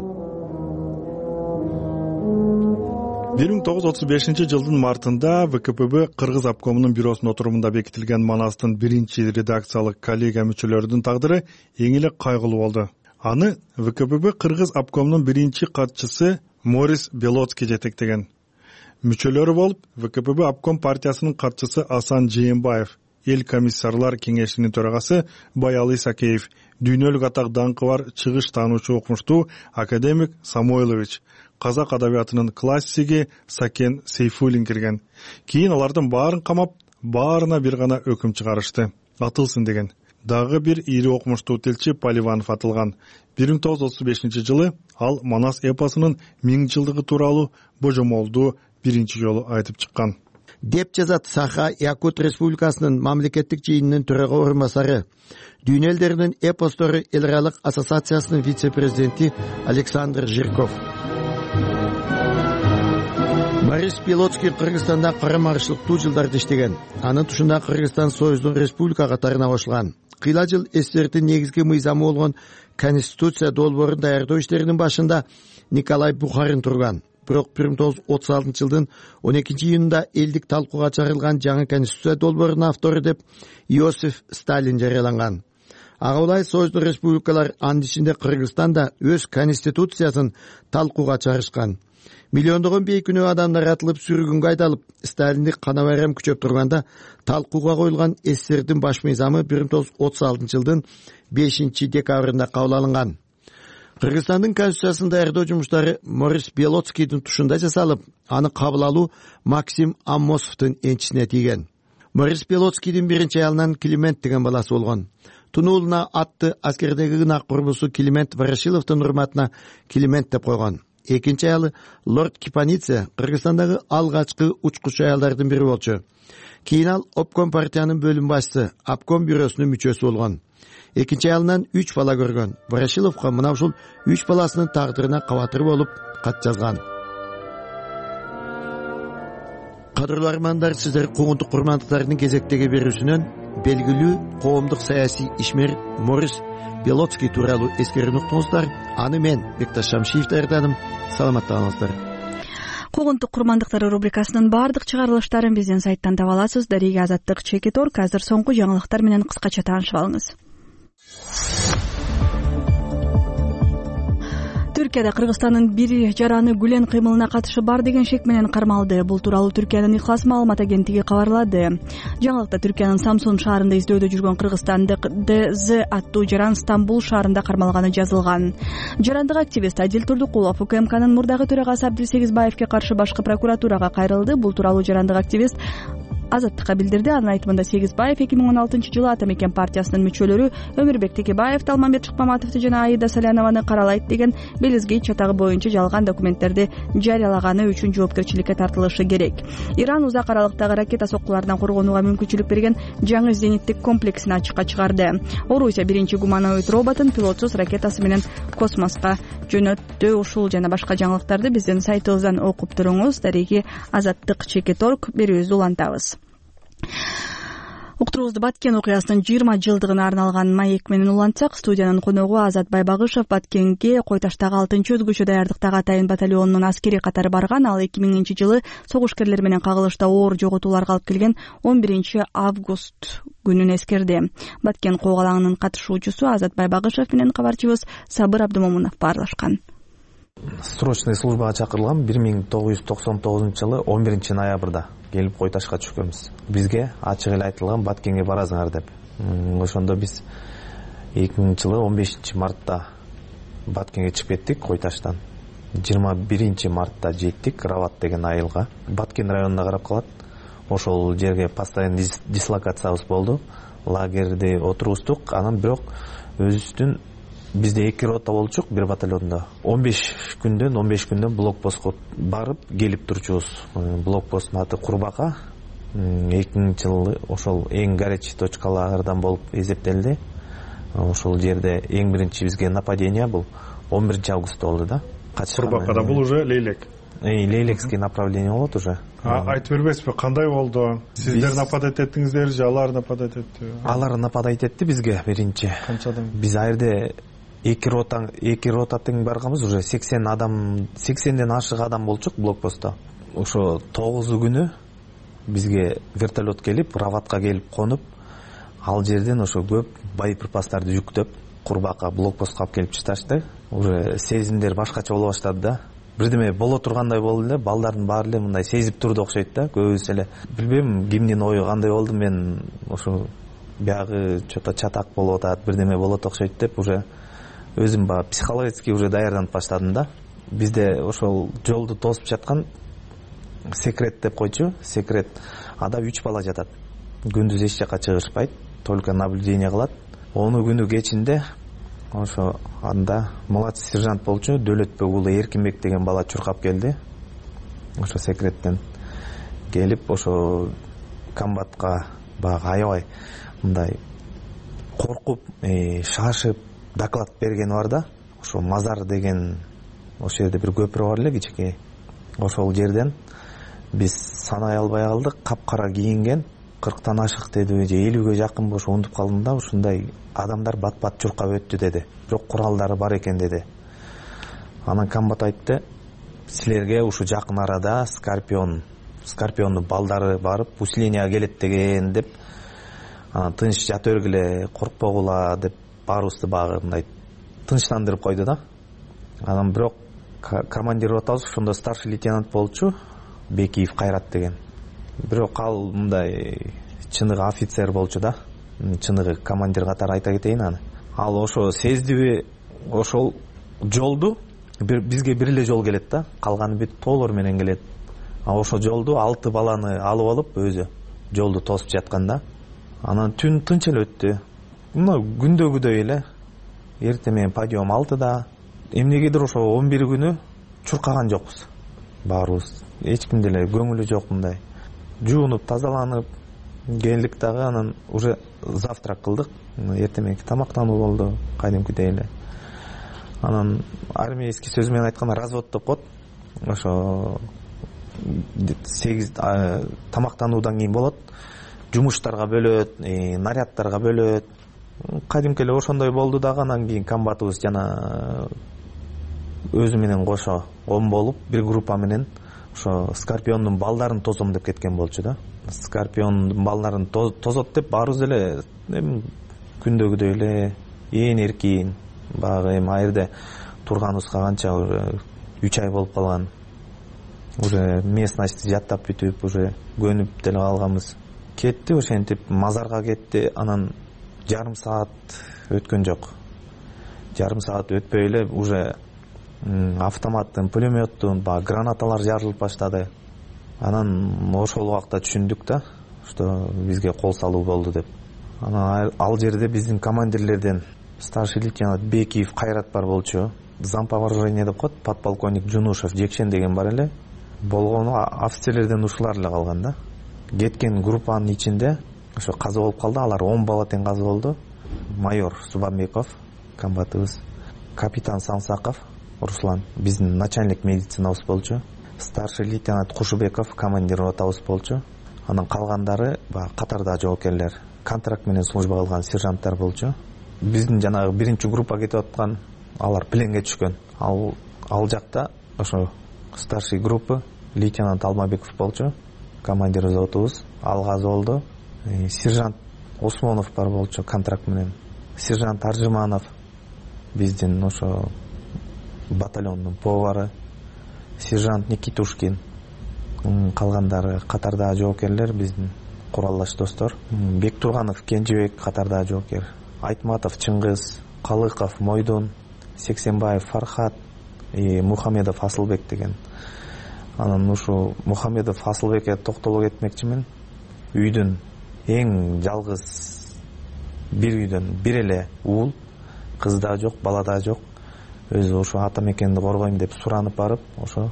бир миң тогуз жүз отуз бешинчи жылдын мартында ВКПб Кыргыз обкомунун бюросунун отурумунда бекитилген Манастын биринчи редакциялык коллегия мүчөлөрүнүн тагдыры эң эле кайгылуу болду. Аны ВКПб Кыргыз обкомунун биринчи катчысы Морис Белоцкий жетектеген. Мүчөлөрү болуп, ВКПб обком партиясынын катчысы Асан Жээнбаев, эл комиссарлар кеңешинин төрагасы Баял Исакеев, дүйнөлүк атак даңкы бар чыгыш таануучу окумуштуу академик Самойлович, казак адабиятынын классиги Сакен Сейфуллин кирген. Кийин алардын баарын камап, баарына бир гана өкүм чыгарышты. Атылсын деген. Дагы бир ири окумуштуу тилчи Поливанов атылган. бир миң тогуз жүз отуз бешинчи жылы ал Манас эпосунун миң жылдыгы тууралуу божомолду биринчи жолу айтып чыккан, деп жазат Саха Якут Республикасынын мамлекеттик жыйынынын төрага орун басары, дүйнө элдеринин эпостору эл аралык ассоциациясынын вице-президенти Александр Жирков. Морис Белоцкий Кыргызстанда карама-каршылыктуу жылдарды иштеген. Анын тушунда Кыргызстан Союздун республика катарына кошулган. Кыйла жыл СССРдин негизги мыйзамы болгон Конституция долбоорун даярдоо иштеринин башында Николай Бухарин турган. Бирок бир миң тогуз жүз отуз алтынчы жылдын он экинчи июнунда элдик талкууга чыгарылган жаңы Конституция долбоорунун автору деп Иосиф Сталин жарыяланган. Ага ылай Союздун республикалар, анын ичинде Кыргызстан да өз конституциясын талкууга чыгарышкан. Миллиондогон бейкүнөө адамдар атылып, сүргүнгө айдалып, Сталиндик кана байрам күчөп турганда талкууга коюлган СССРдин баш мыйзамы бир миң тогуз жүз отуз алтынчы жылдын бешинчи декабрында кабыл алынган. Кыргызстандын конституциясын даярдоо жумуштары Морис Белоцкийдин тушунда жасалып, аны кабыл алуу Максим Аммосовдун энчисине тийген. Морис Белоцкийдин биринчи аялынан Климент деген баласы болгон. Тунуулуна атты аскердеги ынак курбусу Климент Ворошиловдун урматына Климент деп койгон. Экинчи аялы лорд Кипанице Кыргызстандагы алгачкы учкучу аялдардын бири болчу. Кийин ал обком партиянын бөлүм башчысы, обком бюросунун мүчөсү болгон. Экинчи аялынан үч бала көргөн. Ворошиловго мына ушул үч баласынын тагдырына кабатыр болуп кат жазган. Кадырлуу армандар, сиздер куугунтук курмандыктардын кезектеги берүүсүнөн белгилүү коомдук саясий ишмер Морис Белоцкий тууралуу эскерүүнү уктуңуздар. Аны мен Бекташ Шамшиев даярдадым. Саламатта калыңыздар. Куугунтук курмандыктары рубрикасынын баардык чыгарылыштарын биздин сайттан таба аласыз. Дарига Азаттык чекит орг. Азыр соңку жаңылыктар менен кыскача таанышып алыңыз. Түркияда Кыргызстандын бир жараны Гүлен кыймылына катышы бар деген шек менен кармалды. Бул тууралуу Түркиянын Ихлас маалымат агенттиги кабарлады. Жаңылыкта Түркиянын Самсун шаарында издөөдө жүргөн кыргызстандык ДЗ аттуу жаран Стамбул шаарында кармалганы жазылган. Жарандык активист Адил Турдукулов УКМКнын мурдагы төрагасы Абдилсегизбаевке каршы башкы прокуратурага кайрылды. Бул тууралуу жарандык активист Азаттыкка билдирди. Анын айтымында Сегизбаев эки миң он алтынчы жылы Ата Мекен партиясынын мүчөлөрү Өмүрбек Текебаевди, Алмамбет Шыкмаматовду жана Аида Салянованы каралайт деген Белизгей чатагы боюнча жалган документтерди жарыялаганы үчүн жоопкерчиликке тартылышы керек. Иран узак аралыктагы ракета соккуларынан коргонууга мүмкүнчүлүк берген жаңы зениттик комплексин ачыкка чыгарды. Орусия биринчи гуманоид роботун пилотсуз ракетасы менен космоско жөнөттү. Ушул жана башка жаңылыктарды биздин сайтыбыздан окуп туруңуз. Дареги Азаттык чекит орг берүүбүздү улантабыз. Уктуруубузду Баткен окуясынын жыйырма жылдыгына арналган маек менен улантсак, студиянын коногу Азат Байбагышев Баткенге Койташтагы алтынчы өзгөчө даярдыктагы Атайын батальонунун аскери катары барган. Ал эки миңинчи жылы согушкерлер менен кагылышта оор жоготууларга алып келген он биринчи август күнүн эскерди. Баткен коогалаңынын катышуучусу Азат Байбагышев менен кабарчыбыз Сабыр Абдымомунов баарлашкан. Срочный службага чакырылгам бир миң тогуз жүз токсон тогузунчу жылы он биринчи ноябрда келип Койташка түшкөнбүз. Бизге ачык эле айтылган Баткенге барасыңар деп. Ошондо биз эки миңинчи жылы он бешинчи мартта Баткенге чыгып кеттик Койташтан. жыйырма биринчи мартта жеттик Рават деген айылга. Баткен районуна карап калат. Ошол жерге постоянный дислокациябыз болду. Лагерде отурубуздук. Анан бирок өзүбүздүн бизде эки рота болчук бир батальондо. он беш күндөн он беш күндөн блокпостко барып келип турчубуз. Блокпосттун аты Курбака. эки миңинчи жылы ошол эң горячий точкалардан болуп эсептелди. Ошол жерде эң биринчи бизге нападение бул он биринчи августта болду да. Курбакада бул уже Лейлек. Эй, Лейлекске направление болот уже. А айтып бербейсизби, кандай болду? Сиздер нападать эттиңиздер же алар нападать этти? Алар нападать этти бизге биринчи. Канчадан? Биз ай жерде эки рота эки рота тең барганбыз, уже сексен адам, сексенден ашык адам болчук блокпостто. Ошо тогузу күнү бизге вертолет келип, Раватка келип конуп, ал жерден ошо көп боеприпастарды жүктөп, Курбака блокпостко алып келип чыгышты. Уже сезимдер башкача боло баштады да. Бирдеме боло тургандай болду эле, балдардын баары эле мындай сезип турду окшойт да, көбүсү эле. Билбейм кимдин ою кандай болду, мен ошо биягы чото чатак болуп атат, бирдеме болот окшойт деп уже өзүм баягы психологически уже даярданып баштадым да. Бизде ошол жолду тосуп жаткан секрет деп койчу, секрет ада үч бала жатат. Күндүз эч жака чыгышпайт, только наблюдение кылат. он күнү кечинде ошо анда младший сержант болчу, Дөөлөтбек уулу Эркинбек деген бала чуркап келди. Ошо секреттен келип ошо комбатка баягы аябай мындай коркуп, шашып доклад бергени бар да. Ошо Мазар деген ошол жерде бир көпүрө бар эле кичике. Ошол жерден биз санай албай калдык, капкара кийинген, кырктан ашык деди же элүүгө жакын болуш унутуп калдым да. Ушундай адамдар бат-бат чуркап өттү деди. Бирок куралдары бар экен деди. Анан комбат айтты, силерге ушу жакын арада Скорпион, Скорпиондун балдары барып усилениега келет деген деп. Анан тыныч жата бергиле, коркпогула деп баарыбызды багы мындай тынчтандырып койду да. Анан бирок командир ротабыз ошондо старший лейтенант болчу, Бекиев Кайрат деген. Бирок ал мындай чыныгы офицер болчу да. Чыныгы командир катары айта кетейин аны. Ал ошо сездиби, ошол жолду бизге бир эле жол келет да, калганы бүт тоолор менен келет. А ошол жолду алты баланы алып алып өзү жолду тосуп жаткан да. Анан түн тынч эле өттү. Мына күндөгүдөй эле. Эртең менен подъем алтыда. Эмнегедир ошо он бир күнү чуркаган жокпуз. Баарыбыз эч кимде эле көңүлү жок мындай. Жуунуп, тазаланып келдик дагы, анан уже завтрак кылдык. Эртең мененки тамактануу болду, кадимкидей эле. Анан армейский сөз менен айтканда развод деп коет. Ошо сегиз тамактануудан кийин болот. Жумуштарга бөлөт, нарядтарга бөлөт. Кадимки эле ошондой болду дагы. Анан кийин комбатыбыз жана өзү менен кошо он болуп бир группа менен ошо Скорпиондун балдарын тосом деп кеткен болчу да. Скорпиондун балдарын тосот деп баарыбыз эле күндөгүдөй эле ээн эркин баягы эми ай жерде турганыбызга канча уже үч ай болуп калган. Уже местность жаттап бүтүп, уже көнүп деле калганбыз. Кетти ошентип, Мазарга кетти. Анан жарым саат өткөн жок. Жарым саат өтпөй эле уже автоматтын, пулеметтун, баягы гранаталар жарылып баштады. Анан ошол убакта түшүндүк да, что бизге кол салуу болду деп. Анан ал жерде биздин командирлерден старший лейтенант Бекиев Кайрат бар болчу, зампа вооружения деп коет, подполковник Жунушев Жекшен деген бар эле. Болгону офицерлерден ушулар эле калган да. Кеткен группанын ичинде ошо каза болуп калды. Алар он бала тең каза болду. Майор Субанбеков комбатыбыз, капитан Сансаков Руслан биздин начальник медицинабыз болчу, старший лейтенант Кушубеков командир ротабыз болчу. Анан калгандары баягы катардагы жоокерлер, контракт менен служба кылган сержанттар болчу. Биздин жанагы биринчи группа кетип аткан алар пленге түшкөн. Ал ал жакта ошо старший группа лейтенант Алмабеков болчу, командир взводубуз, ал каза болду. Сержант Осмонов бар болчу контракт менен, сержант Аржиманов биздин ошо батальондун повары, сержант Никитушкин, калгандары катардагы жоокерлер биздин куралдаш достор. Бектурганов Кенжебек катардагы жоокер, Айтматов Чыңгыз, Калыков Мойдун, Сексенбаев Фархат, и Мухамедов Асылбек деген. Анан ушу Мухамедов Асылбекке токтоло кетмекчимин. Үйдүн эң жалгыз бир үйдөн бир эле уул, кыз да жок, бала да жок. Өзү ошо ата мекенди коргойм деп суранып барып, ошо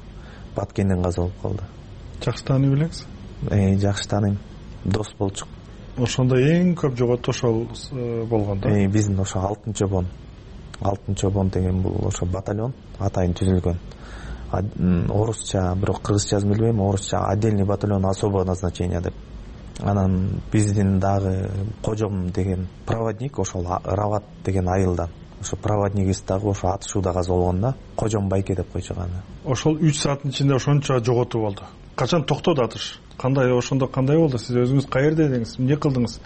баткенден каза болуп калды. Жакшы тааный белеңиз? Э, жакшы тааныйм. Дос болчук. Ошондо эң көп жоготуу ошол болгон да? Э, биздин ошо алтынчы бон. алтынчы бон деген бул ошо батальон атайын түзүлгөн. Орусча, бирок кыргызчасын билбейм, орусча отдельный батальон особого назначения деп. Анан биздин дагы Кожом деген проводник, ошол Рават деген айылдан. Ошо проводнигибиз дагы ошо атышууда каза болгон да. Кожом Байке деп койчу аны. Ошол үч сааттын ичинде ошончо жоготуу болду. Качан токтоду атыш? Кандай, ошондо кандай болду? Сиз өзүңүз каерде едиңиз? Эмне кылдыңыз?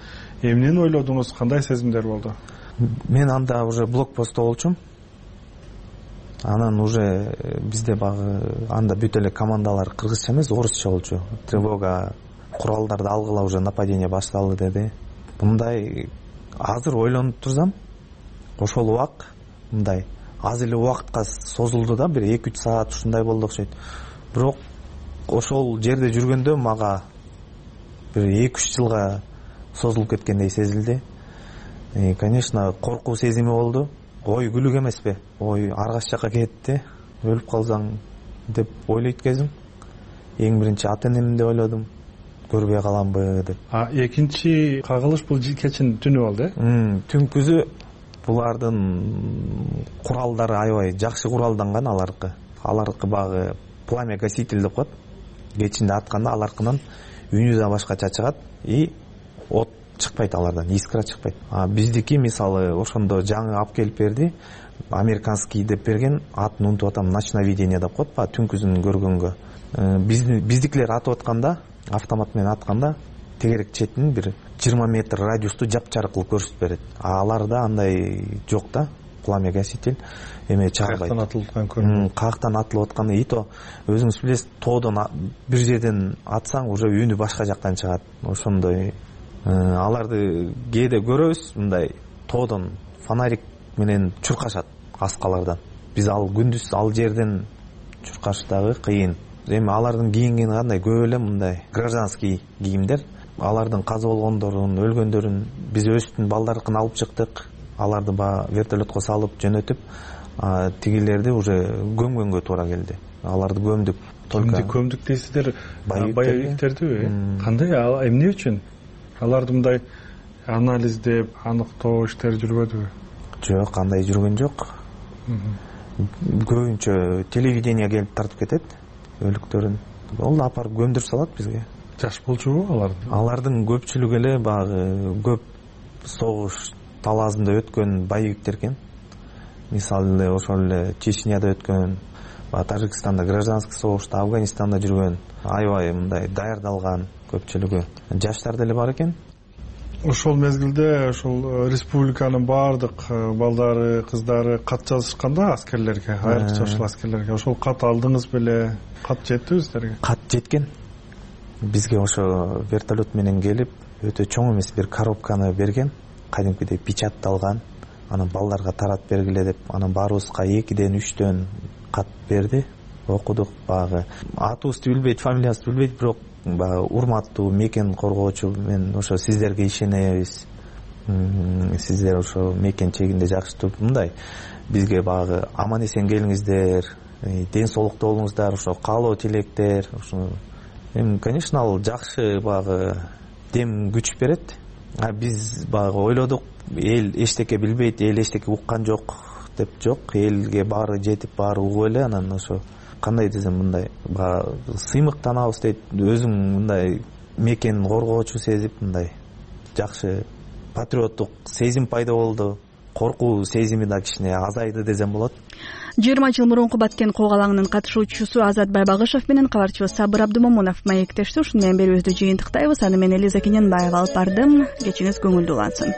Эмнени ойлодуңуз? Кандай сезимдер болду? Мен анда уже блокпостто болчумун. Анан уже бизде багы анда бүт эле командалар кыргызча эмес, орусча болчу. Тревога, куралдарды алгыла, уже нападение башталды деди. Мындай азыр ойлонуп турсам, ошол убак мындай аз эле убакытка созулду да, бир эки үч саат ушундай болду окшойт. Бирок ошол жерде жүргөндө мага бир эки үч жылга созулуп кеткендей сезилди. И, конечно, коркуу сезими болду. Ой, күлүк эмеспи? Ой, аргаш жака кетти, өлүп калсаң деп ойлойт кезим. Эң биринчи ата энемди ойлодум, көрбөй каламбы деп. А экинчи кагылыш бул кечин түнү болду, э? Түнкүзү булардын куралдары аябай жакшы куралданган, аларкы. Аларкы багы пламя гаситель деп коет. Кечинде атканда аларкынан үнү да башкача чыгат и от чыкпайт алардан, искра чыкпайт. А биздики мисалы ошондо жаңы алып келип берди. Американский деп берген, атын унутуп атам, ночное видение деп коет ба, түнкүзүн көргөнгө. Биздикилер атып атканда, автомат менен атканда тегерек четин бир жыйырма метр радиусту жапчарык кылып көрсөтүп берет. А аларда андай жок да, пламя гаситель эме чыгарбайт. Каяктан атылып аткан көрүнөт. Каяктан атылып аткан, и то өзүңүз билесиз, тоодон бир жерден атсаң уже үнү башка жактан чыгат. Ошондой аларды кээде көрөбүз, мындай тоодон фонарик менен чуркашат аскалардан. Биз ал күндүз ал жерден чуркаштагы кыйын. Эми алардын кийингени кандай, көп эле мындай гражданский кийимдер. Алардын каза болгондорун, өлгөндөрүн биз өстүн балдарыкын алып чыктык. Аларды ба вертолетко салып жөнөтүп, тигилерди уже көмгөнгө туура келди. Аларды көмдүк. Кимди көмдүк дейсиздер? Боевиктерди. Кандай, эмне үчүн? Аларды мындай анализдеп, аныктоо иштери жүрбөдүбү? Жок, кандай жүргөн жок. Көбүнчө телевидение келип тартып кетет өлүктөрүн. Ол апарып көмдүрүп салат бизге. Жаш болчубу алардын? Алардын көпчүлүгү эле багы көп согуш талаасында өткөн боевиктер экен. Мисалы ошол эле Чечняда өткөн, Тажикстанда гражданский согушта, Афганистанда жүргөн, аябай мындай даярдалган көпчүлүгү. Жаштар деле бар экен. Ошол мезгилде ошол республиканын баардык балдары, кыздары кат жазышканда аскерлерге, айрыкча ошол аскерлерге, ошол кат алдыңыз беле? Кат жеттиби сиздерге? Кат жеткен. Бизге ошо вертолет менен келип, өтө чоң эмес бир коробканы берген, кадимкидей печатталган. Анан балдарга таратып бергиле деп, анан баарыбызга экиден үчтөн кат берди. Окудук, багы атыбызды билбейт, фамилиясызды билбейт, бирок баягы урматтуу мекен коргоочу, мен ошо сиздерге ишенебиз, сиздер ошо мекен чегинде жакшы туруп мындай бизге баягы аман эсен келиңиздер, ден соолукта болуңуздар, ошо каалоо тилектер, ошо эми конечно ал жакшы баягы дем күч берет. А биз баягы ойлодук, эл эчтеке билбейт, эл эчтеке уккан жок деп, жок, элге баары жетип, баары угуп эле, анан ошо кандай десем мындай баягы сыймыктанабыз дейт, өзүң мындай мекенин коргоочу сезип, мындай жакшы патриоттук сезим пайда болду, коркуу сезими да кичине азайды десем болот. жыйырма жыл мурунку Баткен коогалаңынын катышуучусу Азат Байбагышев менен кабарчыбыз Сабыр Абдымомунов маектешти. Ушуну менен берүүбүздү жыйынтыктайбыз. Аны мен Элиза Кененбаева алып бардым. Кечиңиз көңүлдүү улансын.